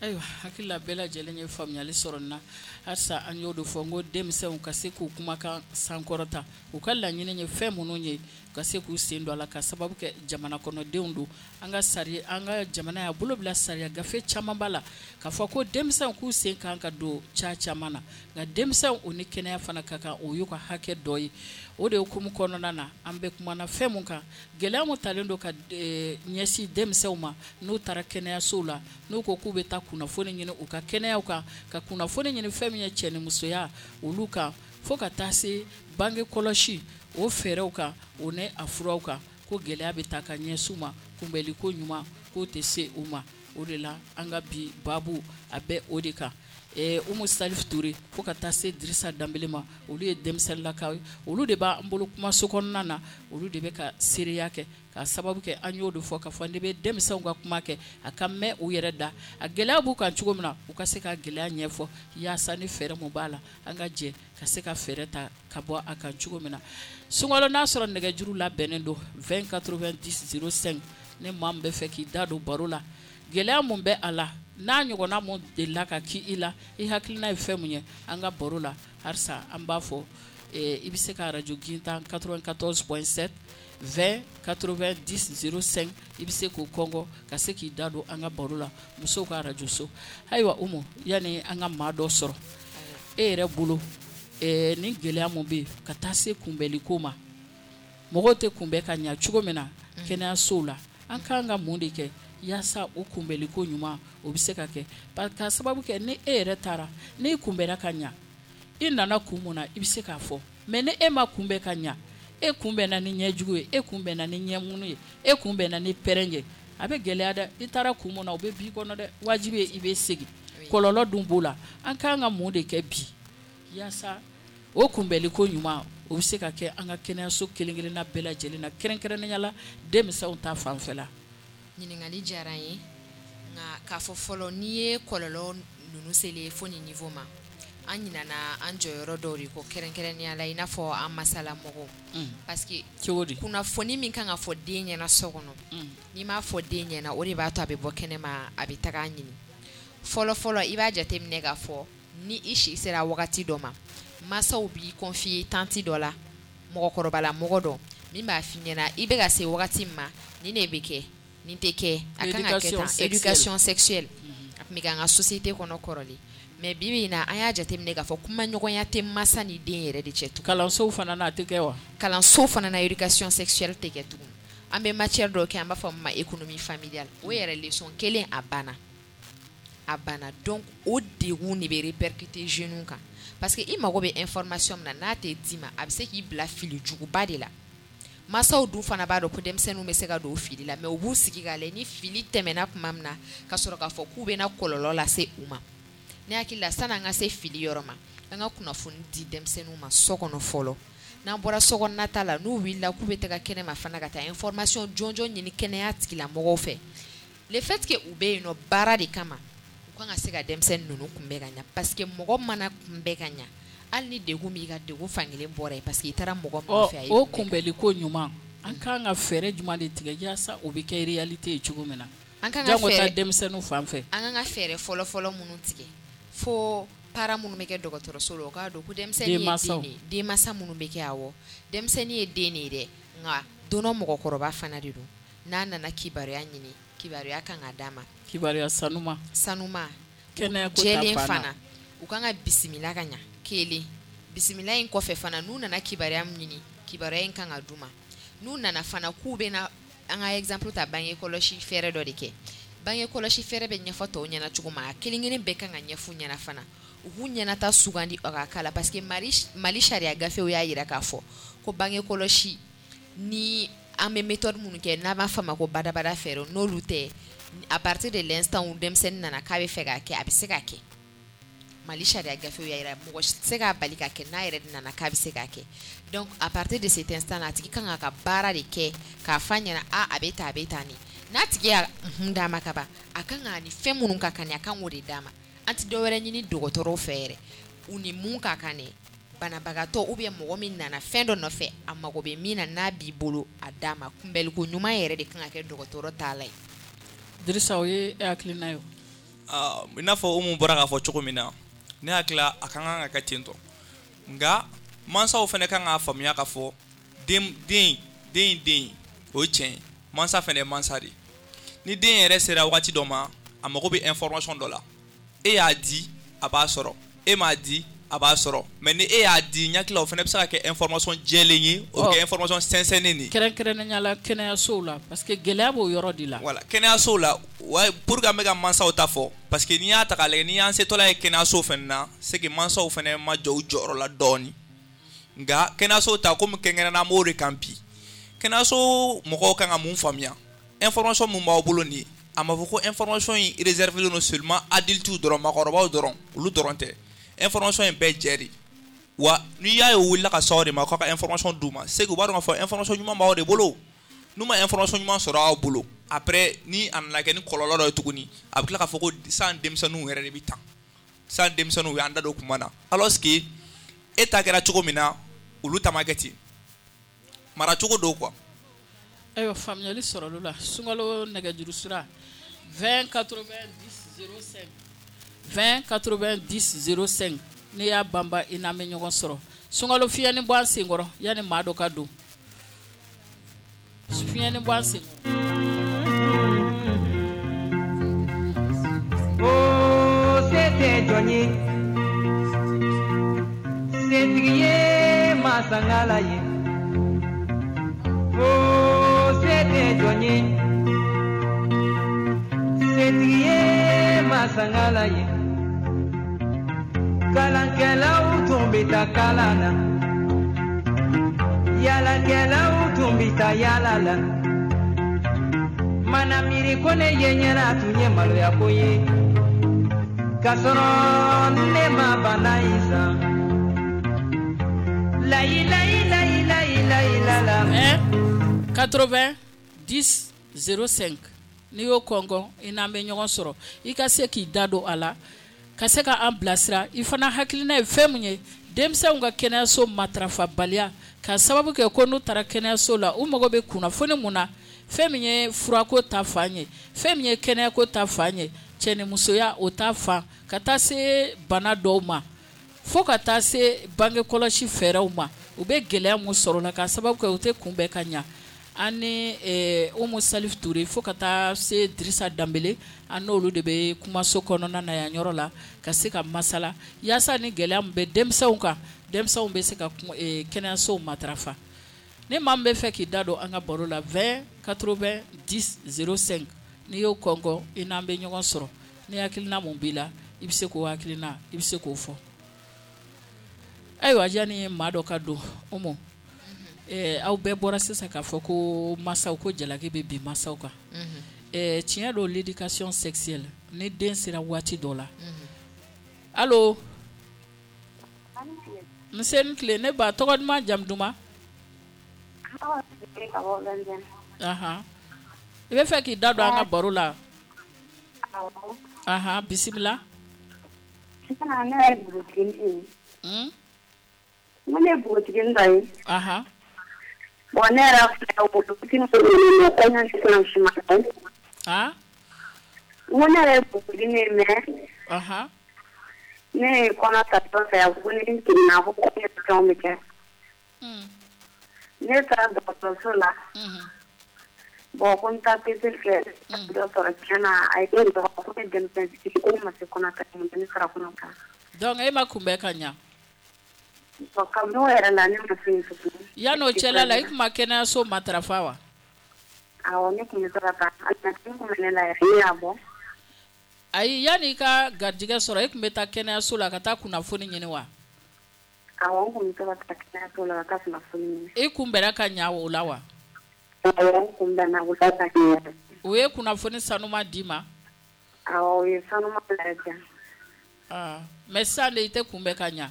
Ayiwa, hakili la bɛɛ lajɛlen ye faamuyali sɔrɔ nin na. Halisa an y'o de fɔ n ko denmisɛnw ka se k'u kumakan sankɔrɔta, u ka laɲini ye fɛn minnu ye, ka se k'u sen don a la, ka sababu kɛ jamana kɔnɔdenw don. An ka sariya, an ka jamana y'a bolo bila sariya gafe caman b'a la k'a fɔ ko denmisɛnw k'u sen kan ka don ca caman na, nka denmisɛnw o ni kɛnɛya fana ka kan, o y'u ka hakɛ dɔ ye. O de hukumu kɔnɔna na, an bɛ kumana fɛn mun kan, gɛlɛya mun talen don ka ɲɛsin denmisɛnw ma n'u taara kɛnɛyasow la, n'u ko k'u bɛ taa kunnafoni ɲini u ka kɛnɛyaw kan, ka kunnafoni ɲini fɛn min ye cɛnimusoya olu kan, fo ka taa se bange kɔlɔsi o fɛɛrɛw kan, o ni a furaw kan, ko gɛlɛya bɛ taa ka ɲɛsin u ma, kunbɛliko ɲuman k'o tɛ se u ma. O de la an ka bi baabu a bɛ o de kan. Eh, Umu Salif Ture fo ka taa se Dirisa Danbele ma, olu ye denmisɛnninlakaw ye, olu de b'an bolo kumaso kɔnɔna na, olu de bɛ ka seereya kɛ, ka sababu kɛ an y'o de fɔ k'a fɔ ne bɛ denmisɛnw ka kuma kɛ a ka mɛn u yɛrɛ da, a gɛlɛya b'u kan cogo min na, u ka se ka gɛlɛya ɲɛfɔ, yaasa ni fɛɛrɛ mun b'a la, an ka jɛ ka se ka fɛɛrɛ ta ka bɔ a kan cogo min na. Sunkalo n'a sɔrɔ nɛgɛjuru labɛnnen don vingt quatre-vingt-dix zéro cinq, ni maa min bɛ fɛ k'i da don baro la, gɛlɛya mun bɛ a la, n'a ɲɔgɔnna mun delila ka k'i i la, i hakilina ye fɛn mun ye an ka baro la, halisa an b'a fɔ i bɛ se ka arajo Gintan quatre-vingt-quatorze point sept vingt quatre-vingt-dix zéro cinq, i bɛ se k'o kɔngɔ ka se k'i da don an ka baro la, musow ka arajo so. Ayiwa Umu, yanni an ka maa dɔ sɔrɔ, e yɛrɛ bolo ni gɛlɛya mun bɛ yen ka taa se kunbɛliko ma, Mɔgɔw tɛ kunbɛn ka ɲɛ cogo min na kɛnɛyasow la, an ka kan ka mun de kɛ yaasa o kunbɛnliko ɲuman o bɛ se ka kɛ? Ka sababu kɛ ni e yɛrɛ taara, n'i kunbɛnna ka ɲɛ, i nana kun mun na, i bɛ se k'a fɔ. Mais ni e ma kunbɛn ka ɲɛ, e kunbɛnna ni ɲɛjugu ye, e kunbɛnna ni ɲɛmunu ye, e kunbɛnna ni pɛrɛn ye, a bɛ gɛlɛya dɛ. I taara kun mun na, o bɛ b'i kɔnɔ dɛ, wajibi ye i bɛ segin. Kɔlɔlɔ dun b'o la. An ka kan ka mun de kɛ bi yaasa o kunbɛnliko ɲuman o bɛ se ka kɛ an ka kɛnɛyaso kelen-kelenna bɛɛ lajɛlen na, kɛrɛnkɛrɛnnenya la denmisɛnw ta fanfɛla? Ɲininkali diyara n ye, nka k'a fɔ fɔlɔ, n'i ye kɔlɔlɔ ninnu selen fo nin niveau ma, an ɲinana an jɔyɔrɔ dɔw de kɔ, kɛrɛnkɛrɛnnenya la i n'a fɔ an masalamɔgɔw, parce que cogo di kunnafoni min kan ka fɔ den ɲɛna so kɔnɔ, n'i m'a fɔ den ɲɛna, o de b'a to a bɛ bɔ kɛnɛma, a bɛ taga ɲini. Fɔlɔ fɔlɔ, i b'a jateminɛ k'a fɔ ni i si sera wagati dɔ ma, mansaw b'i confier tantie dɔ la, mɔgɔkɔrɔbala mɔgɔ dɔ min b'a f'i ɲɛna i bɛ ka se wagati min ma, nin de bɛ kɛ, nin tɛ kɛ, a kan ka kɛ tan. Éducation sexuelle a tun bɛ kɛ an ka société kɔnɔ kɔrɔlen, mais bi bi in na, an y'a jateminɛ k'a fɔ kumaɲɔgɔnya tɛ masa ni den yɛrɛ de cɛ tugun. Kalansow fana na, a tɛ kɛ wa? Kalanso fana na, éducation sexuelle tɛ kɛ tugun. An bɛ matière dɔw kɛ, an b'a fɔ min ma économie familiale, o yɛrɛ leçon kelen, a banna, a banna. Donc o degun de bɛ répercuter jeunes kan, parce que i mago bɛ information min na, n'a tɛ d'i ma, a bɛ se k'i bila fili juguba de la. Mansaw dun fana b'a dɔn ko denmisɛnninw bɛ se ka don o fili la, mais u b'u sigi k'a lajɛ ni fili tɛmɛna tuma min na, ka sɔrɔ k'a fɔ k'u bɛna kɔlɔlɔ lase u ma. Ne hakili la, sanni an ka se fili yɔrɔ ma, an ka kunnafoni di denmisɛnninw ma so kɔnɔ fɔlɔ. N'an bɔra sokɔnɔna ta la, n'u wulila k'u bɛ taga kɛnɛma fana ka taa information jɔnjɔn ɲini kɛnɛya tigilamɔgɔw fɛ, le fait que u bɛ yen nɔ baara de kama, u kan ka se ka denmisɛnnin ninnu kunbɛn ka ɲɛ, parce que mɔgɔ mana kunbɛn ka ɲɛ, hali ni degun b'i ka, degun fankelen bɔra yen, parce que i taara mɔgɔ min nɔfɛ, a ye o kunbɛnliko ɲuman, an kan ka fɛɛrɛ jumɛn de tigɛ yaasa o bɛ kɛ réalité ye cogo min na? An kan ka jango ta fɛɛrɛ denmisɛnninw fan fɛ. An kan ka fɛɛrɛ fɔlɔ fɔlɔ minnu tigɛ, fo parents minnu bɛ kɛ dɔgɔtɔrɔso la, u k'a dɔn ko denmisɛnnin ye den de ye. Denmansa minnu bɛ kɛ, awɔ, denmisɛnnin ye den de ye dɛ, nka don dɔ mɔgɔkɔrɔba fana de don. N'a nana kibaruya ɲini, kibaruya kan ka d'a ma. Kibaruya sanuma. Sanuma. Kɛnɛya ko ta jɛlen fan na. Fana u kan ka bisimila ka ɲa. Kelen, bisimila in kɔfɛ fana, n'u nana kibaruya min ɲini, kibaruya in kan ka d'u ma. N'u nana fana k'u bɛna, an ka exemple ta, bange kɔlɔsi fɛɛrɛ dɔ de kɛ. Bange kɔlɔsi fɛɛrɛ bɛ ɲɛfɔ tɔw ɲɛna cogo min, a kelen kelen bɛɛ kan ka ɲɛf'u ɲɛna fana, u k'u ɲɛnata sugandi a ka k'a la, parce que Mali Mali sariya gafew y'a jira k'a fɔ ko bange kɔlɔsi ni an bɛ méthode minnu kɛ, n'a b'a fɔ a ma ko badabada fɛɛrɛ, n'olu tɛ, à partir de l'instant où denmisɛnnin nana k'a bɛ fɛ k'a kɛ, a bɛ se k'a kɛ. Mali sariya gafew y'a jira, mɔgɔ si tɛ se k'a bali ka kɛ n'a yɛrɛ nana k'a bɛ se k'a kɛ. Donc à partir de cet instant là, a tigi kan k'a ka baara de kɛ k'a f'a ɲɛna, a a bɛ tan, a bɛ tan de. N'a tigi y'a unhun d'a ma ka ban, a kan k'a ni fɛn minnu ka kan, a kan k'o de d'a ma. An tɛ dɔwɛrɛ ɲini dɔgɔtɔrɔw fɛ yɛrɛ, u ni mun ka kan dɛ, banabagatɔ ou bien mɔgɔ min nana fɛn dɔ nɔfɛ, a mago bɛ min na, n'a b'i bolo, a d'a ma. Kunbɛliko ɲuman yɛrɛ de kan ka kɛ dɔgɔtɔrɔ ta la ye. Dirisa, o ye e hakilina ye o? I n'a fɔ Umu bɔra k'a fɔ cogo min na, ne hakili la, a ka kan ka kɛ ten tɔ, nka mansaw fana kan k'a faamuya k'a fɔ den den den den o ye tiɲɛ ye, mansa fana ye mansa de ye. Ni den yɛrɛ sera waati dɔ ma, a mago bɛ information dɔ la, e y'a di, a b'a sɔrɔ, e m'a di, a b'a sɔrɔ. Mais ni e y'a di, n hakili la, o fana bɛ se ka kɛ information jɛlen ye, o bɛ kɛ information sɛnsɛnnen de ye. Kɛrɛnkɛrɛnnenya la kɛnɛyasow la, parce que gɛlɛya b'o yɔrɔ de la. Voilà, kɛnɛyasow la, wa pour que an bɛ ka mansaw ta fɔ, parce que n'i y'a ta k'a lajɛ, n'i y'an setɔla ye kɛnɛyaso fana na, c'est que mansaw fana ma jɔ u jɔyɔrɔ la dɔɔnin. Nka kɛnɛyaso ta, komi kɛrɛnkɛrɛnnenya an b'o de kan bi, kɛnɛyaso mɔgɔw kan ka mun faamuya? Information mun b'aw bolo nin ye, a ma fɔ ko information in réservé don seulement adultes dɔrɔn, maakɔrɔbaw dɔrɔn, olu dɔrɔn tɛ. Information in bɛɛ jɛ de wa. N'i y'a ye u wulila ka s'aw de ma k'aw ka information d'u ma, c'est que u b'a dɔn k'a fɔ information ɲuman b'aw de bolo. N'u ma information ɲuman sɔrɔ aw bolo, après ni a nana kɛ ni kɔlɔlɔ dɔ ye tuguni, a bɛ tila k'a fɔ ko san denmisɛnninw yɛrɛ de bɛ tan, san denmisɛnninw y'an da don kuma na, alors que e ta kɛra cogo min na, olu ta ma kɛ ten, maracogo don quoi. Ayiwa, faamuyali sɔrɔla o la. Sunkalo nɛgɛjuru sira vingt quatre-vingt-dix zéro cinq, vingt quatre-vingt-dix zéro cinq, n'i y'a banba, i n'an bɛ ɲɔgɔn sɔrɔ. Sunkalo, fiɲɛni bɔ an senkɔrɔ yanni maa dɔ ka don. Fiɲɛni bɔ an senkɔrɔ. O se tɛ jɔn ye, setigi ye masangala ye. O se tɛ jɔn ye, setigi ye masangala ye. Kalankɛlaw tun bɛ taa kalan na, yaalakɛlaw tun bɛ taa yaala la. Mana miiri ko ne ye ɲɛna tun ye maloya ko ye, k'a sɔrɔ ne ma bana in san. Layi layi layi layi layi la la. quatre-vingts dix zéro cinq n'i y'o kɔngɔ i n'an bɛ ɲɔgɔn sɔrɔ, i ka se k'i da don a la, ka se ka an bilasira. I fana hakilina ye fɛn mun ye denmisɛnw ka kɛnɛyaso matarafabaliya ka sababu kɛ ko n'u taara kɛnɛyaso la, u mago bɛ kunnafoni mun na, fɛn min ye furako ta fan ye, fɛn min ye kɛnɛyako ta fan ye, cɛnimusoya o ta fan, ka taa se bana dɔw ma, fo ka taa se bange kɔlɔsi fɛɛrɛw ma, u bɛ gɛlɛya mun sɔrɔ la ka sababu kɛ u tɛ kunbɛn ka ɲa. An ni Umu Salif Ture fo ka taa se Dirisa Danbele, an n'olu de bɛ kumaso kɔnɔna na yan yɔrɔ la ka se ka masala yaasa ni gɛlɛya min bɛ denmisɛnw kan, denmisɛnw bɛ se ka kɛnɛyasow matarafa. Ni maa min bɛ fɛ k'i da don an ka baro la, vingt quatre-vingts dix zéro cinq n'i y'o kɔngɔ i n'an bɛ ɲɔgɔn sɔrɔ. Ni hakilina mun b'i la, i bɛ se k'o hakilina i bɛ se k'o fɔ. Ayiwa, yanni maa dɔ ka don, Umu, aw bɛɛ bɔra sisan k'a fɔ ko masaw ko jalaki bɛ bin masaw kan. Tiɲɛ don, l'éducation sexuelle, ni den sera waati dɔ la. Allo, nse ni tile, ne ba, tɔgɔ duman jamu duman? Ahan, i bɛ fɛ k'i da don an ka baro la? Ahan, bisimila. Ne ye npogotiginin ye. Ne ye npogotiginin dɔ ye. Ahan. Bon, ne yɛrɛ filɛ npogotiginin kɔɲɔ sisan siman. Ah? N ko ne yɛrɛ ye npogotiginin ye, mais. Ahan. Ne ye kɔnɔ ta dɔ fɛ, a ko ni n jiginna ko kɔɲɔ fɛnw bɛ kɛ. Ne taara dɔgɔtɔrɔso la. Bon, ko n taa peseli kɛ, dɔ sɔrɔ tiɲɛ na, a ye ne dɔgɔ ko ne denmisɛn fitinin ko ne ma se kɔnɔ ta, ne sera kɔnɔ ta. Donc e ma kunbɛn ka ɲa? Bon, kabini o yɛrɛ la ne ma se yen tuguni. Yan'o cɛla la, i tun ma kɛnɛyaso matarafa wa? Awɔ, ne tun bɛ to ka taa, a tun bɛ ne la yɛrɛ, ne y'a bɔ. Ayi, yanni i ka garijɛgɛ sɔrɔ, e tun bɛ taa kɛnɛyaso la ka taa kunnafoni ɲini wa? Awɔ, n tun bɛ to ka taa kɛnɛyaso la ka taa kunnafoni ɲini. E kunbɛnna ka ɲa o la wa? Awɔ, n kunbɛnna o la ka ɲɛ. O ye kunnafoni sanuma d'i ma? Awɔ, o ye sanuma yɛrɛ di yan. Ah, mais sisan de i tɛ kunbɛn ka ɲa?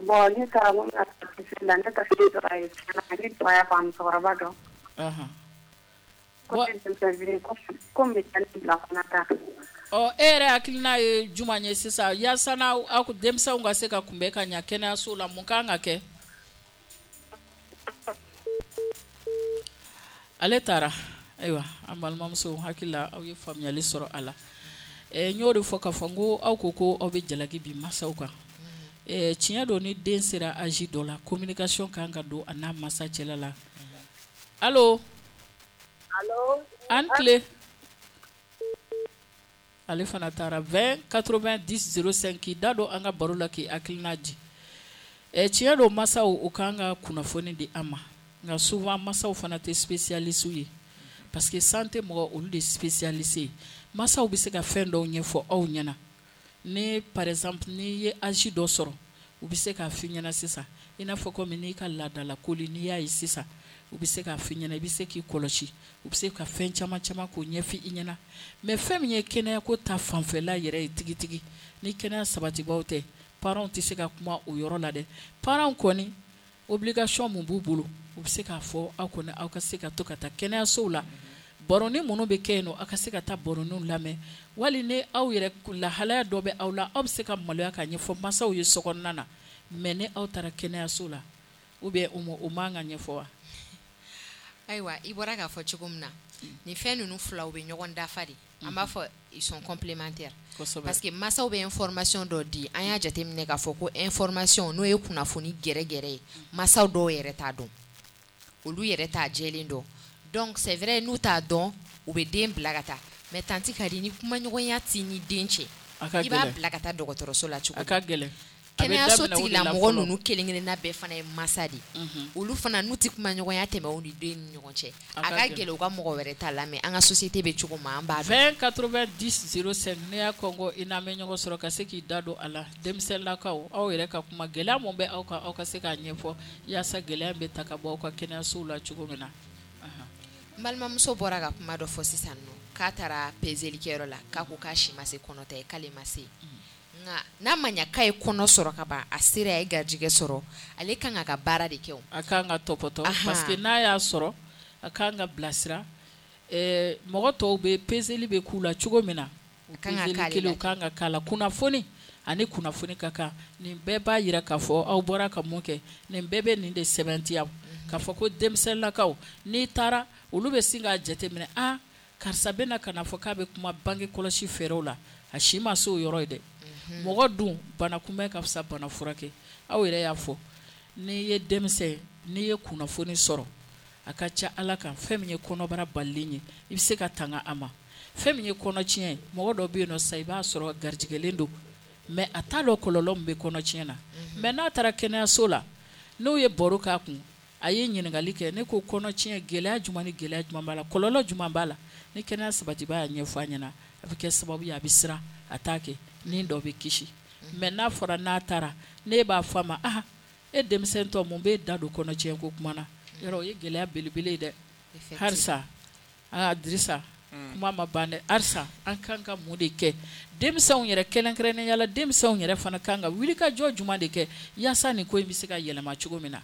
Bon, ne taara ko n bɛna taa peseli la, ne taara dɔrɔn a ye tiɲɛ na, ne dɔgɔya fɔ a musokɔrɔba dɔn. Ɔhɔn. Ko ne denmisɛn fitinin ko n bɛ taa ne bila kɔnɔ ta. Ɔ, e yɛrɛ hakilina ye jumɛn ye sisan yaasa n'aw aw denmisɛnw ka se ka kunbɛn ka ɲa kɛnɛyaso la, mun kan ka kɛ? Ale taara. Ayiwa, an balimamuso, hakili la aw ye faamuyali sɔrɔ a la. N y'o de fɔ k'a fɔ n ko aw ko ko aw bɛ jalaki bin masaw kan. Tiɲɛ don, ni den sera âge dɔ la, communication kan ka don a n'a masa cɛla la. Allo? Allo? An tile. Ale fana taara. Vingt quatre-vingts dix zéro cinq k'i da don an ka baro la k'i hakilina di. Tiɲɛ don, masaw u kan ka kunnafoni di an ma, nka souvent masaw fana tɛ spécialiste ye, parce que santé mɔgɔ olu de spécialiste ye. Masaw bɛ se ka fɛn dɔw ɲɛfɔ aw ɲɛna. Ni par exemple n'i ye âge dɔ sɔrɔ, u bɛ se k'a f'i ɲɛna sisan, i n'a fɔ komi n'i ka laadala koli n'i y'a ye sisan, u bɛ se k'a f'i ɲɛna, i bɛ se k'i kɔlɔsi, u bɛ se ka fɛn caman caman k'o ɲɛfɔ i ɲɛna. Mais fɛn min ye kɛnɛyako ta fanfɛla yɛrɛ ye tigitigi, ni kɛnɛya sabatibaw tɛ, parents tɛ se ka kuma o yɔrɔ la dɛ. Parents kɔni obligation mun b'u bolo, u bɛ se k'a fɔ aw kɔni aw ka se ka to ka taa kɛnɛyasow la, baroni minnu bɛ kɛ yen nɔ, aw ka se ka taa baroniw lamɛn, wali ni aw yɛrɛ lahalaya dɔ bɛ aw la, aw bɛ se ka maloya ka ɲɛfɔ masaw ye sokɔnɔna na. Mais ni aw taara kɛnɛyaso la, ou bien o man ka ɲɛfɔ wa? Ayiwa, i bɔra k'a fɔ cogo min na, nin fɛn ninnu fila u bɛ ɲɔgɔn dafa de. An b'a fɔ ils sont complémentaires. Parce que masaw bɛ information dɔ di, an y'a jateminɛ k'a fɔ ko information n'o ye kunnafoni gɛrɛgɛrɛ ye, masaw dɔw yɛrɛ t'a dɔn, olu yɛrɛ t'a jɛlen dɔn. Donc c'est vrai, n'u t'a dɔn, u bɛ den bila ka taa. Mais tanti Kadi, ni kumaɲɔgɔnya t'i ni den cɛ, i b'a bila ka taa dɔgɔtɔrɔso la cogo di? A ka gɛlɛn. Kɛnɛyaso tigilamɔgɔ ninnu kelen kelenna bɛɛ fana ye masa de olu fana n'u tɛ kuma ɲɔgɔnya tɛmɛ u ni den ni ɲɔgɔn cɛ a ka gɛlɛn u ka mɔgɔ wɛrɛ ta lamɛn an ka société bɛ cogo min an b'a dɔn. vingt quatre-vingt-dix zéro cinq ne y'a kɔngɔ i n'an bɛ ɲɔgɔn sɔrɔ ka se k'i da don a la denmisɛnninlakaw aw yɛrɛ ka kuma gɛlɛya mun bɛ aw kan aw ka se k'a ɲɛfɔ yaasa gɛlɛya bɛ ta ka bɔ aw ka kɛnɛyasow la cogo min na. N balimamuso bɔra ka kuma dɔ fɔ sisan nɔ k'a taara pezelikɛyɔrɔ la k'a ko k'a si ma se kɔnɔta ye k'ale ma se. Nka n'a ma ɲɛ k'a ye kɔnɔ sɔrɔ ka ban a sera a ye garijɛgɛ sɔrɔ ale kan ka ka baara de kɛ o. A kan ka tɔpɔtɔ parce que n'a y'a sɔrɔ a kan ka bilasira ɛɛ mɔgɔ tɔw bɛ peseli bɛ k'u la cogo min na o peseli kelen o kan ka k'a la kunnafoni ani kunnafoni ka kan nin bɛɛ b'a jira k'a fɔ aw bɔra ka mun kɛ nin bɛɛ bɛ nin de sɛbɛntiya k'a fɔ ko denmisɛnninlakaw n'i taara olu bɛ sin k'a jateminɛ a karisa bɛna ka na fɔ k'a bɛ kuma bange kɔlɔsi fɛɛrɛw la a si ma se o yɔrɔ ye dɛ. Mɔgɔ dun bana kunbɛn ka fisa bana furakɛ aw yɛrɛ y'a fɔ n'i ye denmisɛn n'i ye kunnafoni sɔrɔ a ka ca ala kan fɛn min ye kɔnɔbara balilen ye i bɛ se ka tanga a ma fɛn min ye kɔnɔtiɲɛ ye mɔgɔ dɔ bɛ yen nɔ sa i b'a sɔrɔ garijɛgɛlen don mais a t'a dɔn kɔlɔlɔ min bɛ kɔnɔtiɲɛ na mais n'a taara kɛnɛyaso la n'u ye baro k'a kun a ye ɲininkali kɛ ne ko kɔnɔtiɲɛ gɛlɛya jumɛn ni gɛlɛya jumɛn b'a la kɔlɔlɔ jumɛn b'a la ni kɛnɛya sabatibaa y'a ɲɛfɔ a ɲɛna a bɛ kɛ sababu ye a bɛ siran a t'a kɛ ni dɔ bɛ kisi mais n'a fɔra n'a taara ne b'a fɔ a ma ah e denmisɛntɔ mun b'e da don kɔnɔtiɲɛ ko kuma na yɔrɔ o ye gɛlɛya belebele ye dɛ halisa aa Dirisa kuma ma ban dɛ halisa an kan ka mun de kɛ denmisɛnw yɛrɛ kɛrɛnkɛrɛnnenya la denmisɛnw yɛrɛ fana kan ka wulikajɔ jumɛn de kɛ yaasa nin ko in bɛ se ka yɛlɛma cogo min na.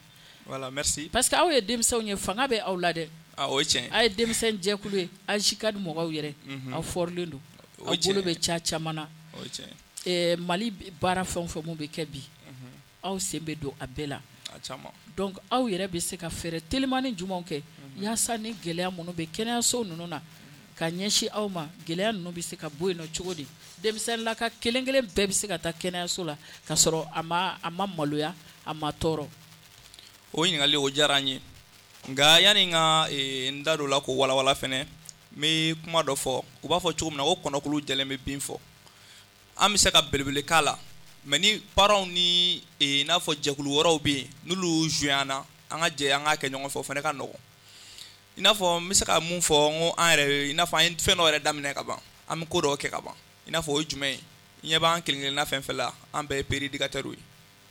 Voilà, merci. Parce que aw ye denmisɛnw ye fanga bɛ aw la dɛ. Ah, o ye tiɲɛ ye. A ye denmisɛn jɛkulu ye AJCAD mɔgɔw yɛrɛ aw fɔrilen don aw bolo bɛ ca caman na. O ye tiɲɛ ye. Mali baara fɛn o fɛn mun bɛ kɛ bi aw sen bɛ don a bɛɛ la. A caman. Donc aw yɛrɛ bɛ se ka fɛɛrɛ telimani jumɛnw kɛ yaasa ni gɛlɛya minnu bɛ kɛnɛyaso ninnu na ka ɲɛsin aw ma gɛlɛya ninnu bɛ se ka bɔ yen nɔ cogo di denmisɛnninlaka kelen kelen bɛɛ bɛ se ka taa kɛnɛyaso la ka sɔrɔ a ma a ma maloya a ma tɔɔrɔ. O ɲininkali o diyara n ye nka yanni n ka n da don la k'o walawala fɛnɛ n bɛ kuma dɔ fɔ u b'a fɔ cogo min na ko kɔnɔkulu jɛlen bɛ bin fɔ an bɛ se ka belebele k'a la mais ni parents ni i n'a fɔ jɛkulu wɛrɛw bɛ yen n'olu joué an na an ka jɛ an k'a kɛ ɲɔgɔn fɛ o fana ka nɔgɔn i n'a fɔ n bɛ se ka mun fɔ n ko an yɛrɛ i n'a fɔ an ye fɛn dɔ yɛrɛ daminɛ ka ban an bɛ ko dɔw kɛ ka ban i n'a fɔ o ye jumɛn ye i ɲɛ b'an kelen kelenna fɛn fɛn la an bɛɛ ye père éducateur ye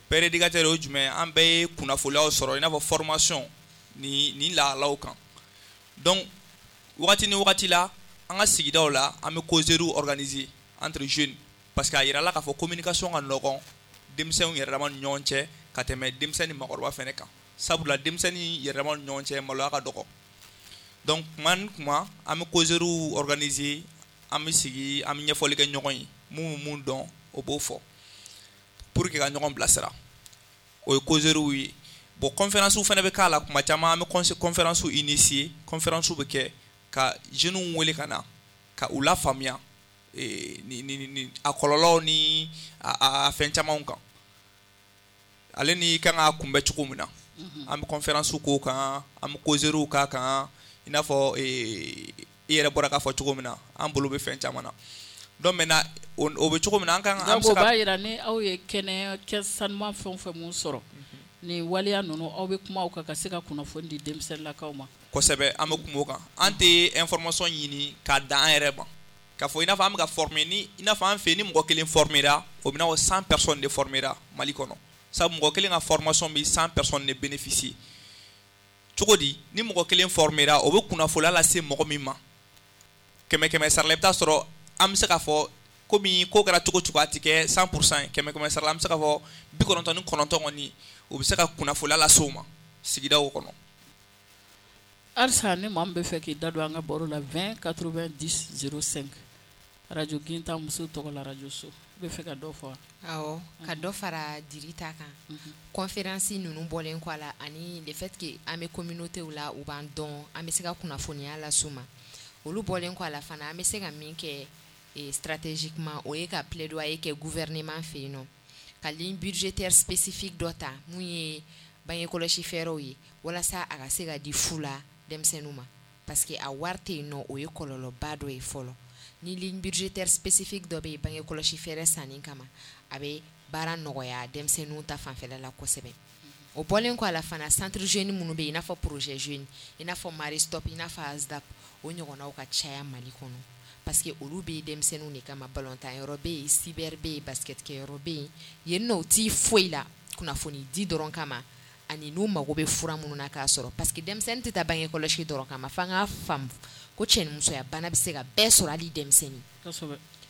père éducateur o ye jumɛn ye an bɛɛ ye kunnafoniyaw sɔrɔ i n'a fɔ formation ni ni lahalaw kan donc wagati ni wagati la an ka sigidaw la an bɛ causeries organiser entre jeunes parce que a yirala k'a fɔ communication ka nɔgɔn denmisɛnw yɛrɛ dama ni ɲɔgɔn cɛ ka tɛmɛ denmisɛnnin ni maakɔrɔba fɛnɛ kan sabula denmisɛnnin yɛrɛ dama ni ɲɔgɔn cɛ maloya ka dɔgɔ donc kuma ni kuma an bɛ causeries organiser an bɛ sigi an bɛ ɲɛfɔli kɛ ɲɔgɔn ye mun bɛ mun dɔn o b'o fɔ pour que ka ɲɔgɔn bilasira o ye causeries ye bon conférence fana bɛ k'a la kuma caman an bɛ conférence initier conférence bɛ kɛ ka jeunes wele ka na ka u lafaamuya ni ni ni a kɔlɔlɔw ni a a fɛn camanw kan ale ni kan k'a kunbɛ cogo min na an bɛ conférence k'o kan an bɛ causeries k'a kan i n'a fɔ i yɛrɛ bɔra k'a fɔ cogo min na an bolo bɛ fɛn caman na donc maintenant o bɛ cogo min na an kan an bɛ se ka. Donc o b'a jira ni aw ye kɛnɛ kɛ sanuman fɛn o fɛn mun sɔrɔ nin waleya ninnu aw bɛ kuma o kan ka se ka kunnafoni di denmisɛnninlakaw ma. Kosɛbɛ an bɛ kuma o kan an tɛ information ɲini k'a dan an yɛrɛ ma k'a fɔ i n'a fɔ an bɛ ka former ni i n'a fɔ an fɛ yen ni mɔgɔ kelen formera o bɛ n'a fɔ cent personnes de formera Mali kɔnɔ sabu mɔgɔ kelen ka formation bɛ cent personnes de bénéficier cogo di ni mɔgɔ kelen formera o bɛ kunnafoniya lase mɔgɔ min ma kɛmɛ kɛmɛ sara la i bɛ taa sɔrɔ an bɛ se k'a fɔ komi ko kɛra cogo cogo a tɛ kɛ cent pour cent kɛmɛ kɛmɛ sara la an bɛ se k'a fɔ bi kɔnɔntɔn ni kɔnɔntɔn kɔni o bɛ se ka kunnafoniya lase o ma sigidaw kɔnɔ. Halisa ni maa min bɛ fɛ k'i da don an ka baro la vingt quatre-vingt-dix zéro cinq radio Gintan muso tɔgɔ la radio so i bɛ fɛ ka dɔ fɔ wa? Awɔ ka dɔ fara Diri ta kan conférence ninnu bɔlen kɔ a la ani le fait que an bɛ communauté la u b'an dɔn an bɛ se ka kunnafoniya las'u ma olu bɔlen kɔ a la fana an bɛ se ka min kɛ stratégiquement o ye ka plaidoyer kɛ gouvernement fɛ yen nɔ ka ligne budgétaire spécifique dɔ ta mun ye bange kɔlɔsi fɛɛrɛw ye walasa a ka se ka di fu la denmisɛnninw ma parce que a wari tɛ yen nɔ o ye kɔlɔlɔba dɔ ye fɔlɔ ni ligne budgétaire spécifique dɔ bɛ yen bange kɔlɔsi fɛɛrɛ sanni kama a bɛ baara nɔgɔya denmisɛnninw ta fanfɛla la kosɛbɛ. O bɔlen kɔ a la fana, centre jeune minnu bɛ yen, i n'a fɔ projet jeune, i n'a fɔ Marie Stop, i n'a fɔ ASDAP, o ɲɔgɔnnaw ka caya Mali kɔnɔ, parce que olu bɛ denmisɛnninw de kama. Balontan yɔrɔ bɛ yen, cyber bɛ yen, basket kɛyɔrɔ bɛ yen. Yen nɔ, u t'i foyi la kunnafoni di dɔrɔn kama, ani n'u mago bɛ fura minnu na k'a sɔrɔ, parce que denmisɛnnin tɛ taa bange kɔlɔsi dɔrɔn kama. F'an k'a faamu ko cɛnimusoya bana bɛ se ka bɛɛ sɔrɔ, hali denmisɛnnin.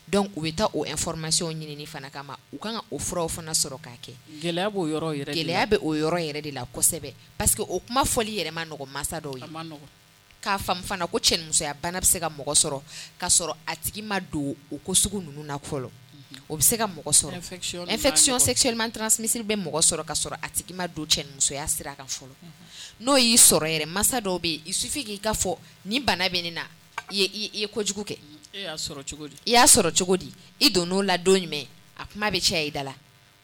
Donc u bɛ taa o information ɲinini fana kama, u kan ka o furaw fana sɔrɔ k'a kɛ. Gɛlɛya b'o yɔrɔ yɛrɛ de la. Gɛlɛya bɛ o yɔrɔ yɛrɛ de la kosɛbɛ, parce que o kuma fɔli yɛrɛ ma nɔgɔn mansa dɔw ye. A ma nɔgɔn. K'a faamu fana ko cɛnimusoya bana bɛ se ka mɔgɔ sɔrɔ k'a sɔrɔ a tigi ma don o ko sugu ninnu na fɔlɔ. O bɛ se ka mɔgɔ sɔrɔ. Infection, infection sexuellement transmissible bɛ mɔgɔ sɔrɔ k'a sɔrɔ a tigi ma don cɛnimusoya sira kan fɔlɔ. N'o y'i sɔrɔ yɛrɛ, mansa dɔw bɛ yen, il suffit k'i ka fɔ nin bana bɛ ne na, i ye i ye kojugu kɛ. E y'a sɔrɔ cogo di? I y'a sɔrɔ cogo di? I donn'o la don jumɛn? A kuma bɛ caya i da la.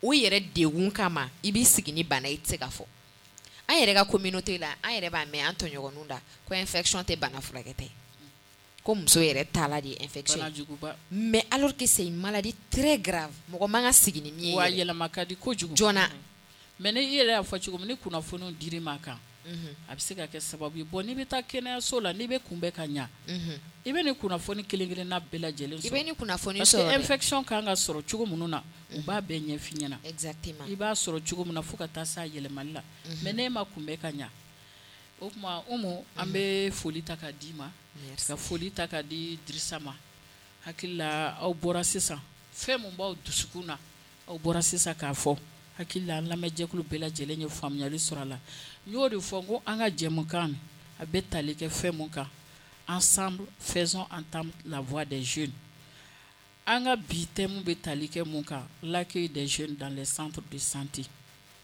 O yɛrɛ degun kama, i b'i sigi ni bana, i tɛ se ka fɔ. An yɛrɛ ka communauté la, an yɛrɛ b'a mɛn an tɔɲɔgɔnw da ko infection tɛ bana furakɛta ye, ko muso yɛrɛ taala de ye infection ye. Banajuguba. Mais alors que c'est une maladie très grave, mɔgɔ man ka sigi ni min ye. Wa yɛlɛma ka di kojugu. Joona. Mais ni i yɛrɛ y'a fɔ cogo min, ni kunnafoniw dir'i ma kan, a bɛ se ka kɛ sababu ye. Bon, n'i bɛ taa kɛnɛyaso la, n'i bɛ kunbɛn ka ɲa, i bɛ nin kunnafoni kelen kelenna bɛɛ lajɛlen sɔrɔ. I bɛ nin kunnafoni sɔrɔ. Parce que infection kan ka sɔrɔ cogo minnu na, u b'a bɛɛ ɲɛf'i ɲɛna. Exactement. I b'a sɔrɔ cogo min na fo ka taa s'a yɛlɛmali la. Mais n'e ma kunbɛn ka ɲa, o tuma Umu, an bɛ foli ta k'a d'i ma, ka foli ta k'a di Dirisa ma. Hakili la, aw bɔra sisan fɛn mun b'aw dusukun na, aw bɔra sisan k'a fɔ. Hakili la, an lamɛnjɛkulu bɛɛ lajɛlen ye faamuyali sɔrɔ a la. N y'o de fɔ n ko an ka jɛmukan a bɛ tali kɛ fɛn mun kan, ensemble faisons entendre la voix des jeunes. An ka bi thème bɛ tali kɛ mun kan, l'accueil des jeunes dans les centres de santé.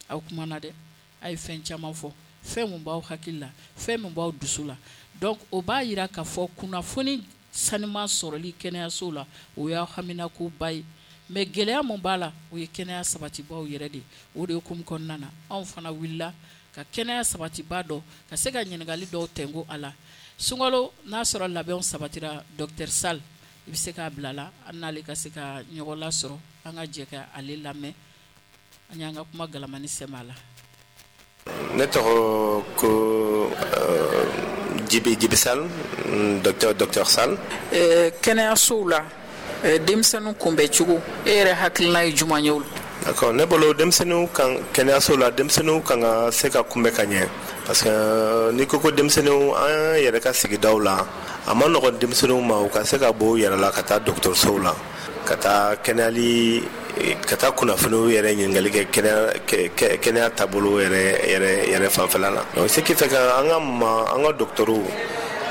Aw kumana dɛ, a ye fɛn caman fɔ, fɛn mun b'aw hakili la, fɛn mun b'aw dusu la. Donc o b'a yira k'a fɔ kunnafoni saniman sɔrɔli kɛnɛyaso la, o y'aw haminakoba ye. Mais gɛlɛya mun b'a la, o ye kɛnɛya sabatibaw yɛrɛ de. O de hukumu kɔnɔna na, anw fana wulila ka kɛnɛya sabatiba dɔ ka se ka ɲininkali dɔw tɛnko a la. Sunkalo n'a sɔrɔ labɛnw sabatira, docteur Sall, i bɛ se k'a bila la, an n'ale ka se ka ɲɔgɔn lasɔrɔ, an ka jɛ ka ale lamɛn, an y'an ka kuma galamani sɛmɛ a la. Ne tɔgɔ ko Jibi Jibi Sall, docteur docteur Sall. Kɛnɛyasow la, denmisɛnninw kunbɛn cogo, e yɛrɛ hakilina ye jumɛn ye o la? D'accord, ne bolo denmisɛnninw kan kɛnɛyaso la, denmisɛnninw kan ka se ka kunbɛn ka ɲɛ, parce que n'i ko ko denmisɛnninw, an yɛrɛ ka sigidaw la, a ma nɔgɔn denmisɛnninw ma u ka se ka bɔ u yɛrɛ la ka taa dɔgɔtɔrɔsow la, ka taa kɛnɛyali, ka taa kunnafoniw yɛrɛ ɲininkali kɛ kɛnɛya kɛnɛya taabolo yɛrɛ yɛrɛ yɛrɛ fanfɛla la. Donc ce qui fait que an ka ma an ka dɔgɔtɔrɔw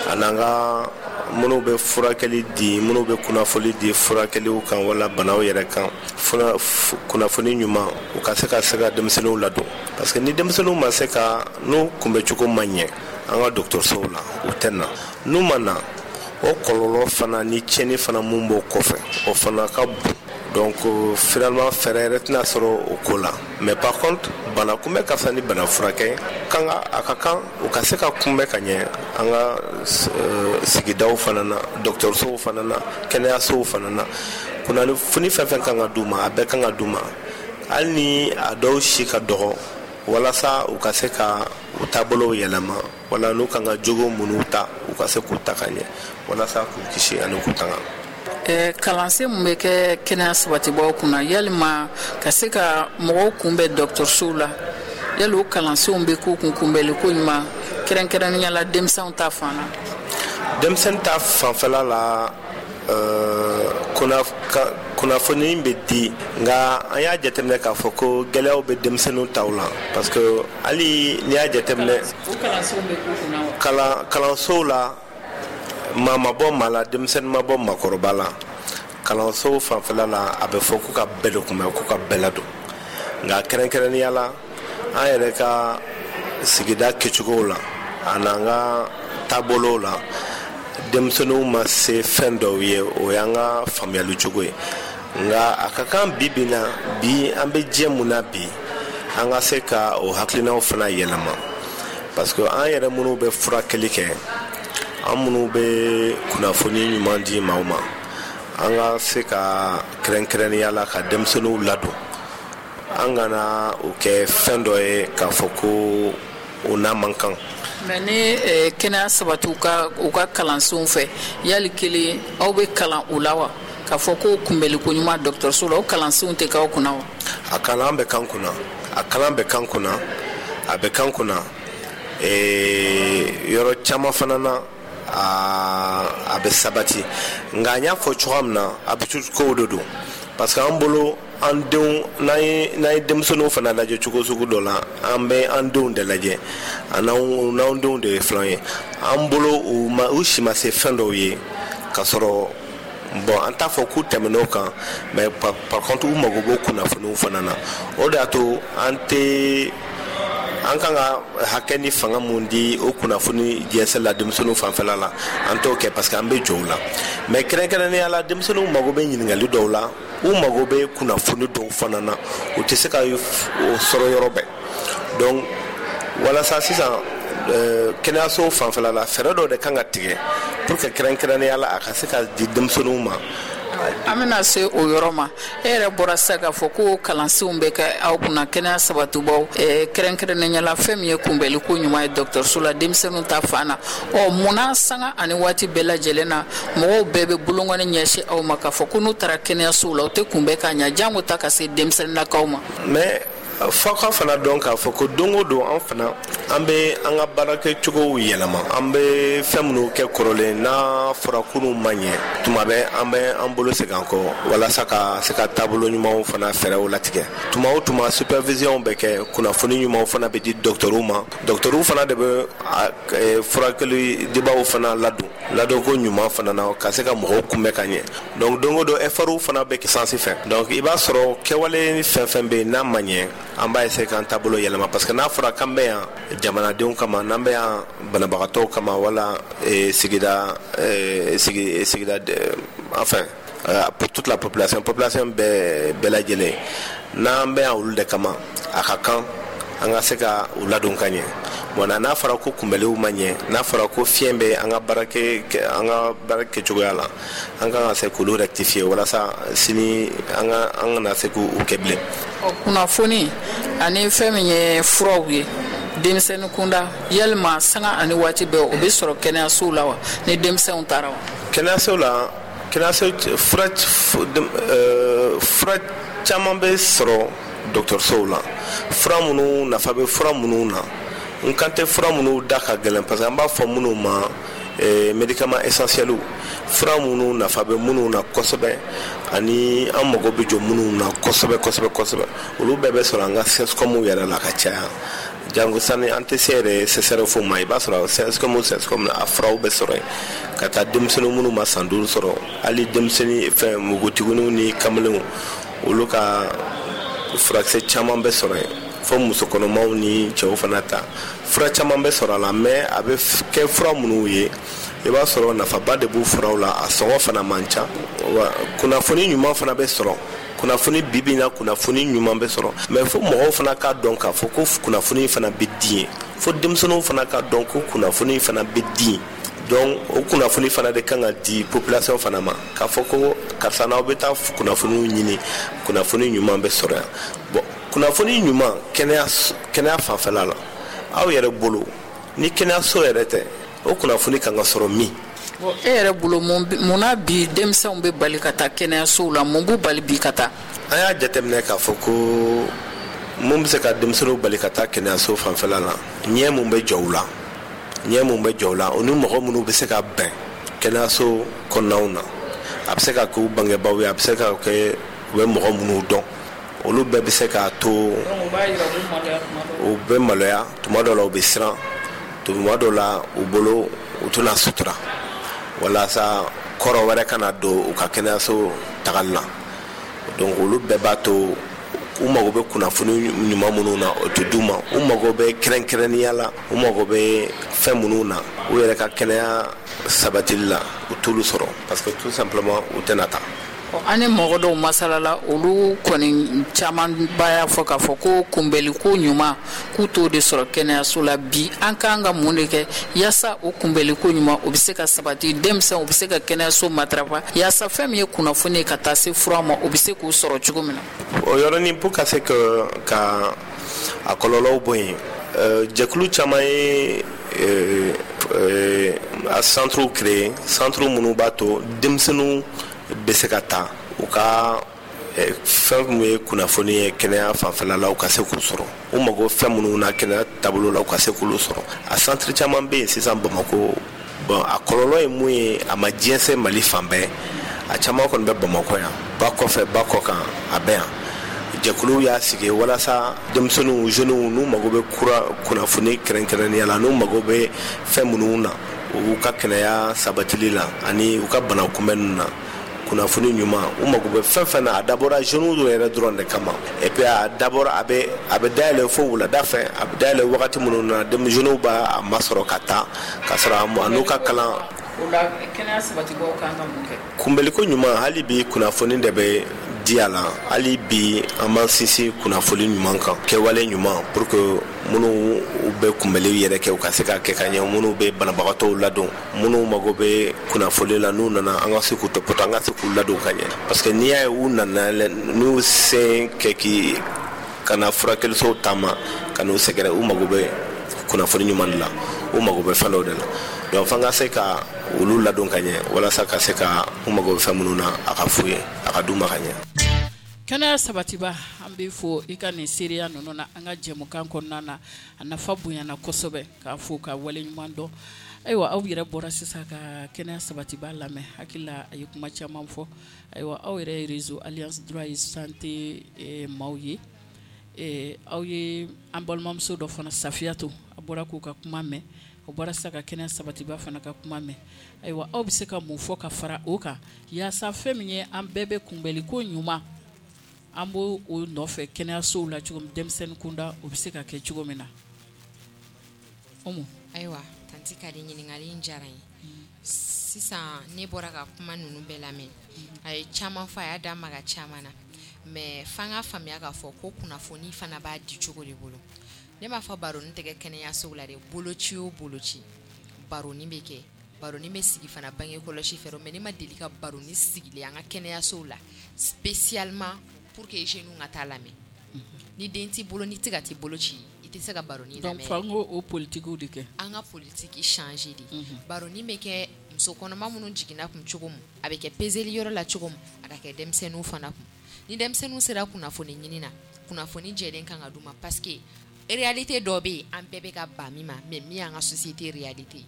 ani an ka minnu bɛ furakɛli di, minnu bɛ kunnafoni di furakɛliw kan wala banaw yɛrɛ kan, kunnafoni ɲuman, u ka se ka se ka denmisɛnninw ladon, parce que ni denmisɛnninw ma se ka n'u kunbɛcogo ma ɲɛ an ka dɔgɔtɔrɔsow la, u tɛ na. N'u ma na, o kɔlɔlɔ fana ni tiɲɛni fana mun b'o kɔfɛ, o fana ka bon. Donc finalement fɛɛrɛ yɛrɛ tɛna sɔrɔ o ko la. Mais par contre, bana kunbɛn ka fisa ni bana furakɛ. Kan ka a ka kan u ka se ka kunbɛn ka ɲɛ an ka sigidaw fana na, dɔgɔtɔrɔsow fana na, kɛnɛyasow fana na. Kunnafoni fɛn fɛn kan ka d'u ma, a bɛɛ kan ka d'u ma, hali ni a dɔw si ka dɔgɔ, walasa u ka se ka u taabolow yɛlɛma, wala n'u kan ka jogo minnu ta, u ka se k'u ta ka ɲɛ, walasa k'u kisi ani k'u tanga. Kalansen mun bɛ kɛ kɛnɛya sabatibaw kunna, yalima ka se ka mɔgɔw kunbɛn dɔgɔtɔrɔsow la, yali o kalansenw bɛ k'u kun kunbɛnli ko ɲuman, kɛrɛnkɛrɛnnenya la denmisɛnw ta fan na? Denmisɛnnin ta fanfɛla la, kunnafoni bɛ di, nka an y'a jateminɛ k'a fɔ ko gɛlɛyaw bɛ denmisɛnninw taw la, parce que hali n'i y'a jateminɛ kalansow la, maa ma bɔ maa la, denmisɛnnin ma bɔ maakɔrɔba la. Kalansow fanfɛla la, a bɛ fɔ k'u ka bɛɛ de kunbɛn, k'u ka bɛɛ ladon. Nka kɛrɛnkɛrɛnnenya la, an yɛrɛ ka sigida kɛcogow la an'an ka taabolow la, denmisɛnninw ma se fɛn dɔw ye, o y'an ka faamuyali cogo ye. Nka a ka kan bi bi na, bi an bɛ diɲɛ mun na bi, an ka se ka o hakilinaw fana yɛlɛma, parce que an yɛrɛ minnu bɛ furakɛli kɛ, an minnu bɛ kunnafoni ɲuman di maaw ma, an ka se ka kɛrɛnkɛrɛnnenya la ka denmisɛnninw ladon, An kana o kɛ fɛn dɔ ye k'a fɔ ko o n'a man kan. Mais ni kɛnɛya sabati u ka u ka kalansenw fɛ, yali kelen aw bɛ kalan o la wa? K'a fɔ ko kunbɛliko ɲuman dɔgɔtɔrɔso la, o kalansenw tɛ k'aw kunna wa? A kalan bɛ k'an kunna, a kalan bɛ k'an kunna, a bɛ k'an kunna. Ee yɔrɔ caman fana na a a bɛ sabati, nka n y'a fɔ cogoya min na, habitude kow de don, parce que an bolo an denw, n'an ye n'an ye denmisɛnninw fana lajɛ cogo sugu dɔ la, an bɛ an denw de lajɛ, a n'anw n'anw denw de ye filan ye. An bolo u ma u si ma se fɛn dɔw ye k'a sɔrɔ bon an t'a fɔ k'u tɛmɛn'o kan, mais par, par contre u mago b'o kunnafoniw fana na. O de y'a to an tɛ an kan ka hakɛ ni fanga mun di o kunnafoni jɛnsɛn la denmisɛnninw fanfɛla la, an t'o kɛ parce que an bɛ jɔ o la. Mais kɛrɛnkɛrɛnnenya la, denmisɛnninw mago bɛ ɲininkali dɔw la, u mago bɛ kunnafoni dɔw fana na, u tɛ se ka o sɔrɔ yɔrɔ bɛɛ. Donc walasa sisan kɛnɛyaso fanfɛla la, fɛɛrɛ dɔw de kan ka tigɛ pour que kɛrɛnkɛrɛnnenya la a ka se ka di denmisɛnninw ma. An bɛna se o yɔrɔ ma. E yɛrɛ bɔra sisan k'a fɔ ko kalansenw bɛ kɛ aw kunna kɛnɛya sabatibaw, kɛrɛnkɛrɛnnenya la fɛn min ye kunbɛliko ɲuman ye dɔgɔtɔrɔso la denmisɛnninw ta fan na. Ɔ munna sanga ani waati bɛɛ lajɛlen na mɔgɔw bɛɛ bɛ bolonkɔni ɲɛsin aw ma k'a fɔ ko n'u taara kɛnɛyasow la u tɛ kunbɛn ka ɲɛ, jango ta ka se denmisɛnninnakaw ma? Mais f'aw ka fana dɔn k'a fɔ ko don o don an fana an bɛ an ka baarakɛcogow yɛlɛma. An bɛ fɛn minnu kɛ kɔrɔlen n'a fɔra k'olu ma ɲɛ, tuma bɛɛ an bɛ an bolo segin an kɔ walasa ka se ka taabolo ɲumanw fana fɛɛrɛw latigɛ. Tuma o tuma supervision bɛ kɛ, kunnafoni ɲumanw fana bɛ di dɔgɔtɔrɔw ma. Dɔgɔtɔrɔw fana de bɛ furakɛli dibaw fana ladon ladonko ɲuman fana na ka se ka mɔgɔw kunbɛn ka ɲɛ. Donc don o don effortw fana bɛ kɛ sansi fɛ. Donc i b'a sɔrɔ kɛwale fɛn fɛn bɛ yen n'a ma ɲɛ, an b'a essayer k'an taabolo yɛlɛma, parce que n'a fɔra k'an bɛ yan jamanadenw kama, n'an bɛ yan banabagatɔw kama, wala sigida sigi sigida enfin pour toute la population population bɛɛ bɛɛ lajɛlen, n'an bɛ yan olu de kama, a ka kan an ka se ka u ladon ka ɲɛ. Bon n'a fɔra ko kunbɛliw ma ɲɛ, n'a fɔra ko fiɲɛ bɛ an ka baara kɛ an ka baara kɛcogoya la, an kan ka se k'olu rectifier walasa sini an ka an kana se k'u kɛ bilen. Ɔ kunnafoni ani fɛn min ye furaw ye denmisɛnnin kunda, yalima sanga ani waati bɛɛ o bɛ sɔrɔ kɛnɛyasow la wa ni denmisɛnw taara wa? Kɛnɛyasow la, kɛnɛyaso fura fura caman bɛ sɔrɔ dɔgɔtɔrɔsow la. Fura minnu nafa bɛ fura minnu na, n kan tɛ fura minnu da ka gɛlɛn, parce que an b'a fɔ minnu ma médicaments essentiels, fura minnu nafa bɛ minnu na kosɛbɛ ani an mago bɛ jɔ minnu na kosɛbɛ kosɛbɛ kosɛbɛ, olu bɛɛ bɛ sɔrɔ an ka C S C O M yɛrɛ la ka caya. Jango sani an tɛ se yɛrɛ C S R F ma, i b'a sɔrɔ C S C O M C S C O M a furaw bɛ sɔrɔ yen ka taa denmisɛnnin minnu ma san duuru sɔrɔ, hali denmisɛnnin fɛn npogotigininw ni kamalenw, olu ka furakisɛ caman bɛ sɔrɔ yen, fo musokɔnɔmaw ni cɛw fana ta fura caman bɛ sɔrɔ a la. Mais a bɛ kɛ fura minnu ye, i b'a sɔrɔ nafaba de b'u furaw la, a sɔngɔ fana man ca. Wa kunnafoni ɲuman fana bɛ sɔrɔ, kunnafoni bibi in na kunnafoni ɲuman bɛ sɔrɔ, mais fo mɔgɔw fana k'a dɔn k'a fɔ ko kunnafoni fana bɛ di yen, fo denmisɛnninw fana k'a dɔn ko kunnafoni fana bɛ di yen. Donc o kunnafoni fana de kan ka di population fana ma, k'a fɔ ko karisa n'aw bɛ taa kunnafoniw ɲini, kunnafoni ɲuman bɛ sɔrɔ yan. Bon kunnafoni ɲuman kɛnɛya kɛnɛya fanfɛla la, aw yɛrɛ bolo ni kɛnɛyaso yɛrɛ tɛ, o kunnafoni kan ka sɔrɔ min? Bon e yɛrɛ bolo mun na bi denmisɛnw bɛ bali ka taa kɛnɛyasow la, mun b'u bali bi ka taa? An y'a jateminɛ k'a fɔ ko mun bɛ se ka denmisɛnninw bali ka taa kɛnɛyaso fanfɛla la, ɲɛ mun bɛ jɔ u la, ɲɛ mun bɛ jɔ u la, o ni mɔgɔ minnu bɛ se ka bɛn kɛnɛyaso kɔnɔnaw na, a bɛ se ka k'u bangebaaw ye, a bɛ se ka kɛ u bɛ mɔgɔ minnu dɔn, olu bɛɛ bɛ se k'a to u bɛ maloya tuma dɔw la, u bɛ siran tuma dɔw la, u bolo u tɛna sutura walasa kɔrɔ wɛrɛ kana don u ka kɛnɛyaso tagali la. Donc olu bɛɛ b'a to u mago bɛ kunnafoni ɲuman minnu na, o tɛ d'u ma. U mago bɛ kɛrɛnkɛrɛnnenya la, u mago bɛ fɛn minnu na u yɛrɛ ka kɛnɛya sabatili la, u t'olu sɔrɔ parce que tout simplement u tɛna taa. An ni mɔgɔ dɔw masalala, olu kɔni camanba y'a fɔ k'a fɔ ko kunbɛliko ɲuman, k'u t'o de sɔrɔ kɛnɛyaso la bi. An k'an ka mun de kɛ yaasa o kunbɛliko ɲuman, o bɛ se ka sabati, denmisɛnw u bɛ se ka kɛnɛyaso matarafa, yaasa fɛn min ye kunnafoni ye ka taa se fura ma, o bɛ se k'u sɔrɔ cogo min na? O yɔrɔnin, pour ka se ka ka a kɔlɔlɔw bɔ yen, jɛkulu caman ye a centre créé, centre minnu b'a to denmisɛnninw bɛ se ka taa u ka fɛn min ye kunnafoni ye kɛnɛya fanfɛla la, u ka se k'u sɔrɔ. U mago fɛn minnu na kɛnɛya taabolo la, u ka se k'olu sɔrɔ. A centre caman bɛ yen sisan Bamakɔ. Bon, a kɔlɔlɔ ye mun ye? A ma jɛnsɛn Mali fan bɛɛ. A caman kɔni bɛ Bamakɔ yan, ba kɔfɛ, ba kɔ kan, a bɛ yan. Jɛkuluw y'a sigi walasa denmisɛnninw, jeunes, n'u mago bɛ kura kunnafoni kɛrɛnkɛrɛnnenya la, n'u mago bɛ fɛn minnu na u ka kɛnɛya sabatili la ani u ka bana kunbɛnni na, kunnafoni ɲuman, u mago bɛ fɛn fɛn na, a dabɔra jeunes yɛrɛ dɔrɔn de kama. Et puis a dabɔra, a bɛ a bɛ dayɛlɛ fo wulada fɛ. A bɛ dayɛlɛ wagati minnu na, jeunes b'a masɔrɔ ka taa ka sɔrɔ a n'u ka kalan. O la, kɛnɛya sabatibaaw kan ka mun kɛ? Kunbɛliko ɲuman, hali bi kunnafoni de bɛ di a la. Hali bi an b'an sinsin kunnafoni ɲuman kan, kɛwale ɲuman, pour que minnu bɛ kunbɛli yɛrɛ kɛ, u ka se ka kɛ ka ɲɛ, minnu bɛ banabagatɔw ladon, minnu mago bɛ kunnafoni la, n'u nana, an ka se k'u tɔpɔtɔ, an ka se k'u ladon ka ɲɛ, parce que n'i y'a ye u nana, n'u sen kɛ k'i ka na furakɛlisow taama ka n'u sɛgɛrɛ, u mago bɛ kunnafoni ɲuman de la, u mago bɛ fɛn dɔw de la. Donc f'an ka se ka olu ladon ka ɲɛ walasa ka se ka u mago bɛ fɛn minnu na, a ka f'u ye, a ka d'u ma ka ɲɛ. Kɛnɛya sabatiba, an bɛ fo i ka nin seereya ninnu na an ka jɛmukan kɔnɔna na. A nafa bonyana kosɛbɛ, k'a fo ka waleɲuman dɔn. Ayiwa, aw yɛrɛ bɔra sisan ka kɛnɛya sabatiba lamɛn. Hakili la, a ye kuma caman fɔ. Ayiwa, aw yɛrɛ ye Réseau Alliance Droit et Santé maaw ye. Aw ye an balimamuso dɔ fana, Safiyatu, a bɔra k'u ka kuma mɛn, o bɔra sisan ka kɛnɛya sabatiba fana ka kuma mɛn. Ayiwa, aw bɛ se ka mun fɔ ka fara o kan yaasa fɛn min ye an bɛɛ bɛ kunbɛliko ɲuman, an b'o o nɔfɛ kɛnɛyasow la cogo min, denmisɛnnin kunda, o bɛ se ka kɛ cogo min na? Umu. Ayiwa, tantie Kadi, ɲininkali in diyara n ye. Sisan ne bɔra ka kuma ninnu bɛɛ lamɛn, a ye caman fɔ, a y'a da maga caman na, mais f'an ka faamuya k'a fɔ ko kunnafoni fana b'a di cogo de bolo. Ne m'a fɔ baroni tɛ kɛ kɛnɛyasow la dɛ. Boloci o boloci, baroni bɛ kɛ, baroni bɛ sigi fana bange kɔlɔsi fɛ, mais ne ma deli ka baroni sigilen an ka kɛnɛyasow la spécialement pour que jeunes ka taa lamɛn. Ni den t'i bolo, n'i tɛ ka t'i bolo ci, i tɛ se ka baroni lamɛn. Donc f'an k'o politikiw de kɛ. An ka politique changer de. Baroni bɛ kɛ muso kɔnɔma minnu jiginna kun cogo min, a bɛ kɛ peseli yɔrɔ la cogo min, a ka kɛ denmisɛnninw fana kun. Ni denmisɛnninw sera kunnafoni ɲini na, kunnafoni jɛlen kan ka d'u ma, parce que réalité dɔ bɛ yen, an bɛɛ bɛ ka ban min ma, mais min y'an ka société réalité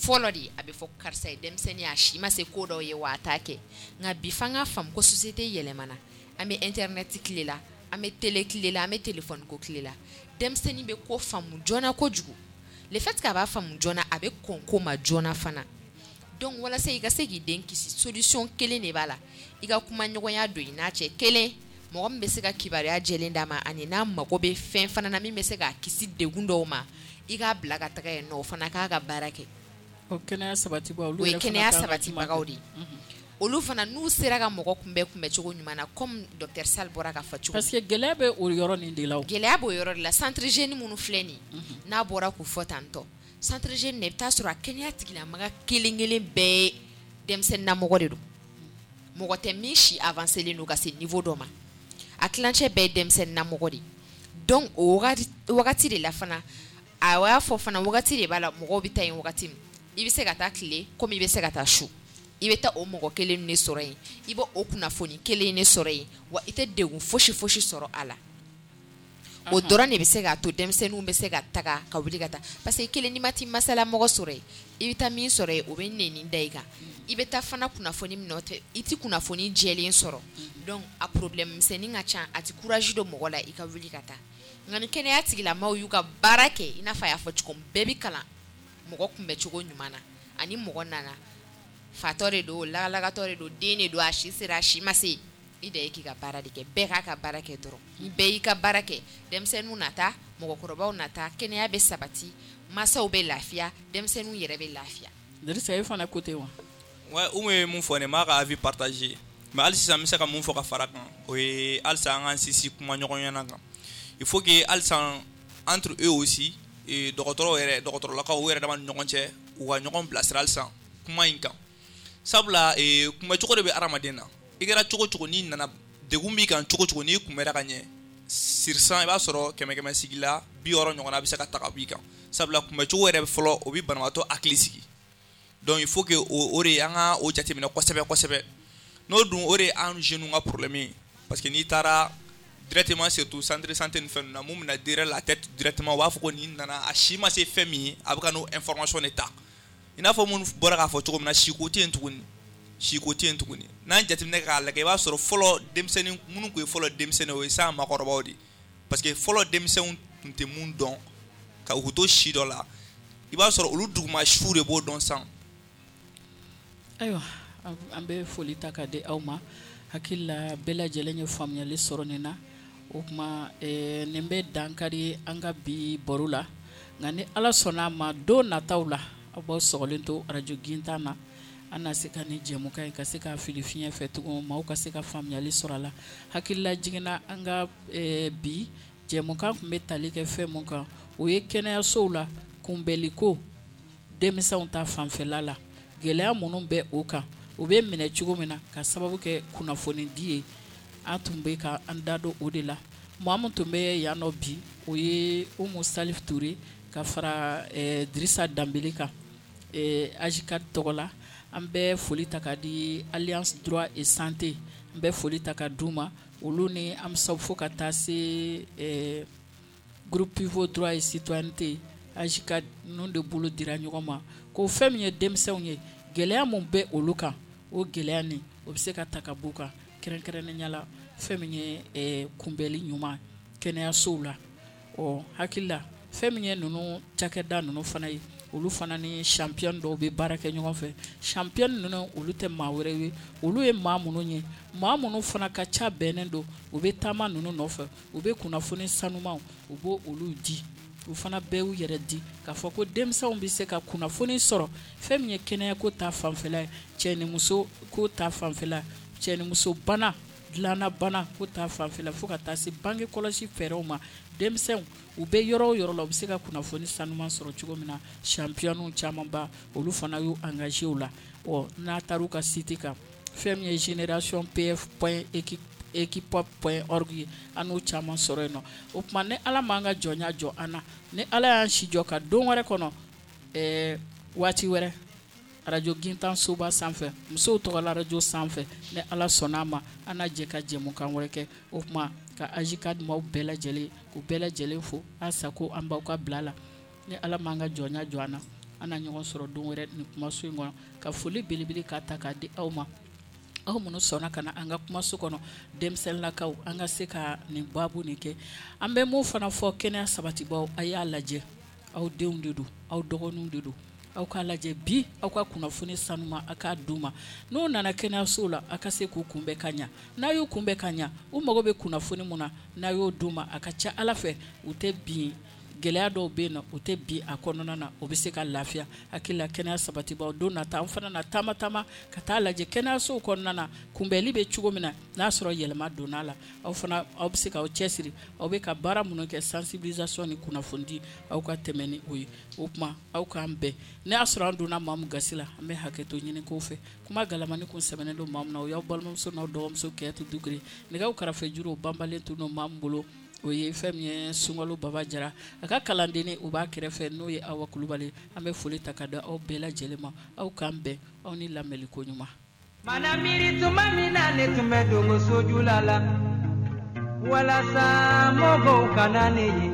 fɔlɔ de, a bɛ fɔ karisa ye denmisɛnnin, a si ma se ko dɔw ye, wa a t'a kɛ. Nka bi, f'an ka faamu ko société yɛlɛmana. An bɛ internet tile la, an bɛ télé tile la, an bɛ téléphone ko tile la. Denmisɛnnin bɛ ko faamu joona kojugu. Le fait qu'a b'a faamu joona, a bɛ kɔn ko ma joona fana. Donc walasa i ka se k'i den kisi, solution kelen de b'a la: i ka kuma ɲɔgɔnya don i n'a cɛ. Kelen, mɔgɔ min bɛ se ka kibaruya jɛlen d'a ma, ani n'a mago bɛ fɛn fana na min bɛ se k'a kisi degun dɔw ma, i k'a bila ka taga yen nɔ, o fana k'a ka baara kɛ. O kɛnɛya sabatibagaw, olu, o ye kɛnɛya sabatibagaw de ye. Olu fana, n'u sera ka mɔgɔ kunbɛn kunbɛncogo ɲuman na, comme docteur Sall bɔra ka fɔ cogo. Parce que gɛlɛya bɛ o yɔrɔ nin de la o. Gɛlɛya b'o yɔrɔ de la. Centre jeune minnu filɛ nin ye, n'a bɔra k'u fɔ tantɔ, centre jeune, i bɛ taa sɔrɔ a kɛnɛya tigilamaga kelen kelen bɛɛ ye denmisɛnninnamɔgɔ de don. Mɔgɔ tɛ min si avancé len don ka se niveau dɔ ma. A tilancɛ bɛɛ ye denmisɛnninnamɔgɔ de ye. Donc o wagati de la fana, a y'a fɔ fana, wagati de b'a la, mɔgɔw bɛ taa yen wagati min. I bɛ se ka taa tile komi i bɛ se ka taa su. I bɛ taa o mɔgɔ kelen de sɔrɔ yen, i bɛ o kunnafoni kelen de sɔrɔ yen, wa i tɛ degun fosi fosi sɔrɔ a la. O dɔrɔn de bɛ se k'a to denmisɛnninw bɛ se ka taga, ka wuli ka taa, parce que kelen, n'i ma t'i masala mɔgɔ sɔrɔ yen, i bɛ taa min sɔrɔ yen, o bɛ nɛni da i kan. I bɛ taa fana kunnafoni min nɔfɛ, i tɛ kunnafoni jɛlen sɔrɔ. Donc a problème misɛnnin ka ca, a tɛ courage don mɔgɔ la i ka wuli ka taa. Nka ni kɛnɛya tigilamaaw y'u ka baara kɛ, i n'a fɔ a y'a fɔ cogo min, bɛɛ bɛ kalan mɔgɔ kunbɛcogo ɲuman na. Ani mɔgɔ nana, fatɔ de don, lagalagatɔ de don, den de don, a si sera, a si ma se, i da ye k'i ka baara de kɛ. Bɛɛ k'a ka baara kɛ dɔrɔn. Ni bɛɛ y'i ka baara kɛ, denmisɛnninw na taa, mɔgɔkɔrɔbaw na taa, kɛnɛya bɛ sabati, mansaw bɛ lafiya, denmisɛnninw yɛrɛ bɛ lafiya. Dirisa, e fana ko ten wa? Ouais, Umu ye mun fɔ nin, n b'a ka avis partager. Mais hali sisan n bɛ se ka mun fɔ ka fara kan, o ye halisa an k'an sinsin kuma ɲɔgɔnya kan. Il faut que halisa entre eux aussi, dɔgɔtɔrɔw yɛrɛ, dɔgɔtɔrɔlakaw, u yɛrɛ dama ni ɲɔgɔn cɛ, u ka ɲɔgɔn bilasira halisa kuma in kan. Sabula kunbɛcogo de bɛ hadamaden na. I kɛra cogo cogo, n'i nana degun b'i kan cogo cogo, n'i kunbɛra ka ɲɛ sur cent, i b'a sɔrɔ kɛmɛ kɛmɛ sigi la bi wɔɔrɔ ɲɔgɔnna bɛ se ka ta ka b'i kan. Sabula kunbɛcogo yɛrɛ fɔlɔ, o bɛ banabaatɔ hakili sigi. Donc il faut que o de an ka o jateminɛ kosɛbɛ kosɛbɛ. N'o dun, o de ye an jeunes ka problème ye, parce que n'i taara directement, surtout centre de santé ni fɛn ninnu na, mun bɛna derrière la tête directement, u b'a fɔ ko nin nana, a si ma se fɛn min ye, a bɛ ka n'o information de ta. I n'a fɔ minnu bɔra k'a fɔ cogo min na, siko tɛ yen tuguni, siko tɛ yen tuguni. N'an jateminɛ k'a lajɛ, i b'a sɔrɔ fɔlɔ denmisɛnnin minnu tun ye fɔlɔ denmisɛnnin, o ye sisan maakɔrɔbaw de ye, parce que fɔlɔ denmisɛnw tun tɛ mun dɔn ka u to si dɔ la, i b'a sɔrɔ olu duguma siw de b'o dɔn sisan. Ayiwa, an bɛ foli ta ka di aw ma. Hakili la, bɛɛ lajɛlen ye faamuyali sɔrɔ nin na. O tuma, nin bɛ dankari an ka bi baro la. Nka ni Ala sɔnna a ma, don nataw la, aw b'aw sɔgɔlen to arajo Gintan na, an na se ka nin jɛmukan in ka se ka fili fiɲɛ fɛ tugun, maaw ka se ka faamuyali sɔrɔ a la. Hakilila jiginna, an ka bi jɛmukan tun bɛ tali kɛ fɛn mun kan, o ye kɛnɛyasow la kunbɛliko denmisɛnw ta fanfɛla la, gɛlɛya minnu bɛ o kan, u bɛ minɛ cogo min na ka sababu kɛ kunnafoni di ye. An tun bɛ ka an da don o de la. Maa min tun bɛ yan nɔ bi, o ye Umu Salif Ture ka fara Dirisa Danbele kan AJCAD tɔgɔ la. An bɛ foli ta ka di Alliance Droit et Santé, an bɛ foli ta ka d'u ma, olu ni an bɛ fo ka taa se groupe pivot droit et citoyenneté. AJCAD ninnu de bolo dira ɲɔgɔn ma ko fɛn min ye denmisɛnw ye, gɛlɛya mun bɛ olu kan, o gɛlɛya nin, o bɛ se ka ta ka b'u kan, kɛrɛnkɛrɛnnenya la fɛn min ye kunbɛli ɲuman kɛnɛyasow la. Ɔ, hakili la, fɛn min ye ninnu cakɛda ninnu fana ye, olu fana ni champion dɔw bɛ baara kɛ ɲɔgɔn fɛ. Champion ninnu, olu tɛ maa wɛrɛ ye, olu ye maa minnu ye, maa minnu fana ka ca bɛnnen don, u bɛ taama ninnu nɔfɛ, u bɛ kunnafoni sanumanw, u b'o olu di. U fana bɛɛ y'u yɛrɛ di k'a fɔ ko denmisɛnw bɛ se ka kunnafoni sɔrɔ fɛn min ye kɛnɛyako ta fanfɛla ye, cɛ ni muso ko ta fanfɛla, cɛ ni muso bana, dilanna bana ko ta fanfɛla, fo ka taa se bange kɔlɔsi fɛɛrɛw ma. Denmisɛnw, u bɛ yɔrɔ o yɔrɔ la, u bɛ se ka kunnafoni sanuman sɔrɔ cogo min na, championw camanba, olu fana y'u engagé o la. Ɔ, n'a taara u ka site kan, fɛn min ye génération pf point equipop point org ye, an n'o caman sɔrɔ yen nɔ. O tuma, ni Ala m'an ka jɔnya jɔ an na, ni Ala y'an si jɔ ka don wɛrɛ kɔnɔ, ɛɛ waati wɛrɛ, arajo Gintan soba sanfɛ, musow tɔgɔla arajo sanfɛ, ni Ala sɔnna a ma, an na jɛ ka jɛmukan wɛrɛ kɛ. O tuma, ka AJCAD maaw bɛɛ lajɛlen, k'u bɛɛ lajɛlen fo halisa ko an b'aw ka bila la. Ni Ala m'an ka jɔnya jɔ an na, an na ɲɔgɔn sɔrɔ don wɛrɛ nin kumaso in kɔnɔ. Ka foli belebele k'a ta k'a di aw ma, aw minnu sɔnna ka na an ka kumaso kɔnɔ, denmisɛnninlakaw, an ka se ka nin baabu nin kɛ. An bɛ mun fana fɔ kɛnɛya sabatibaw, a y'a lajɛ, aw denw de don, aw dɔgɔninw de don, aw k'a lajɛ bi, aw ka kunnafoni sanuma, a k'a d'u ma. N'u nana kɛnɛyasow la, a ka se k'u kunbɛn ka ɲa. N'a y'u kunbɛn ka ɲa, u mago bɛ kunnafoni mun na, n'a y'o d'u ma, a ka ca Ala fɛ, u tɛ bin gɛlɛya dɔw bɛ yen nɔ, o tɛ bi a kɔnɔna na, o bɛ se ka lafiya. Hakili la, kɛnɛya sabatibaw, don nata an fana na taama taama ka taa lajɛ kɛnɛyasow kɔnɔna na, kunbɛnli bɛ cogo min na, n'a sɔrɔ yɛlɛma donna la. Aw fana, aw bɛ se k'aw cɛsiri, aw bɛ ka baara minnu kɛ, sensibilisation ni kunnafonidi, aw ka tɛmɛ ni o ye. O tuma, aw k'an bɛn. Ne y'a sɔrɔ an donna maa min gasi la, an bɛ hakɛto ɲini k'o fɛ. Kuma galamani kun sɛbɛnnen don maa min na, o y'aw balimamuso n'aw dɔgɔmuso Kɛyatu Dukure. Nɛgɛw karafe juru banbalen tun don maa min bolo, o ye fɛn min ye Sunkalo Baba Jara, a ka kalandenni o b'a kɛrɛfɛ, n'o ye Awa Kulubali. An bɛ foli ta ka da aw bɛɛ lajɛlen ma. Aw k'an bɛn, aw ni lamɛnliko ɲuman. Mana miiri tuma min na ne tun bɛ dogo sojula la, walasa mɔgɔw kana ne ye.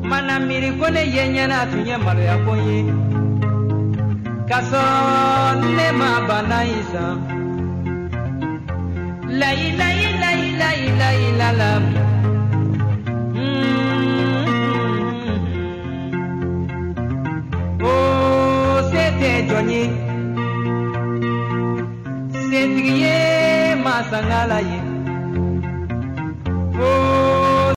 Mana miiri ko ne ye ɲɛna tun ye maloya ko ye, ka sɔrɔ ne ma bana in san. Layi layi layi layi layi la la. Oh, se tɛ jɔn ye, setigi ye masangala ye. Oh.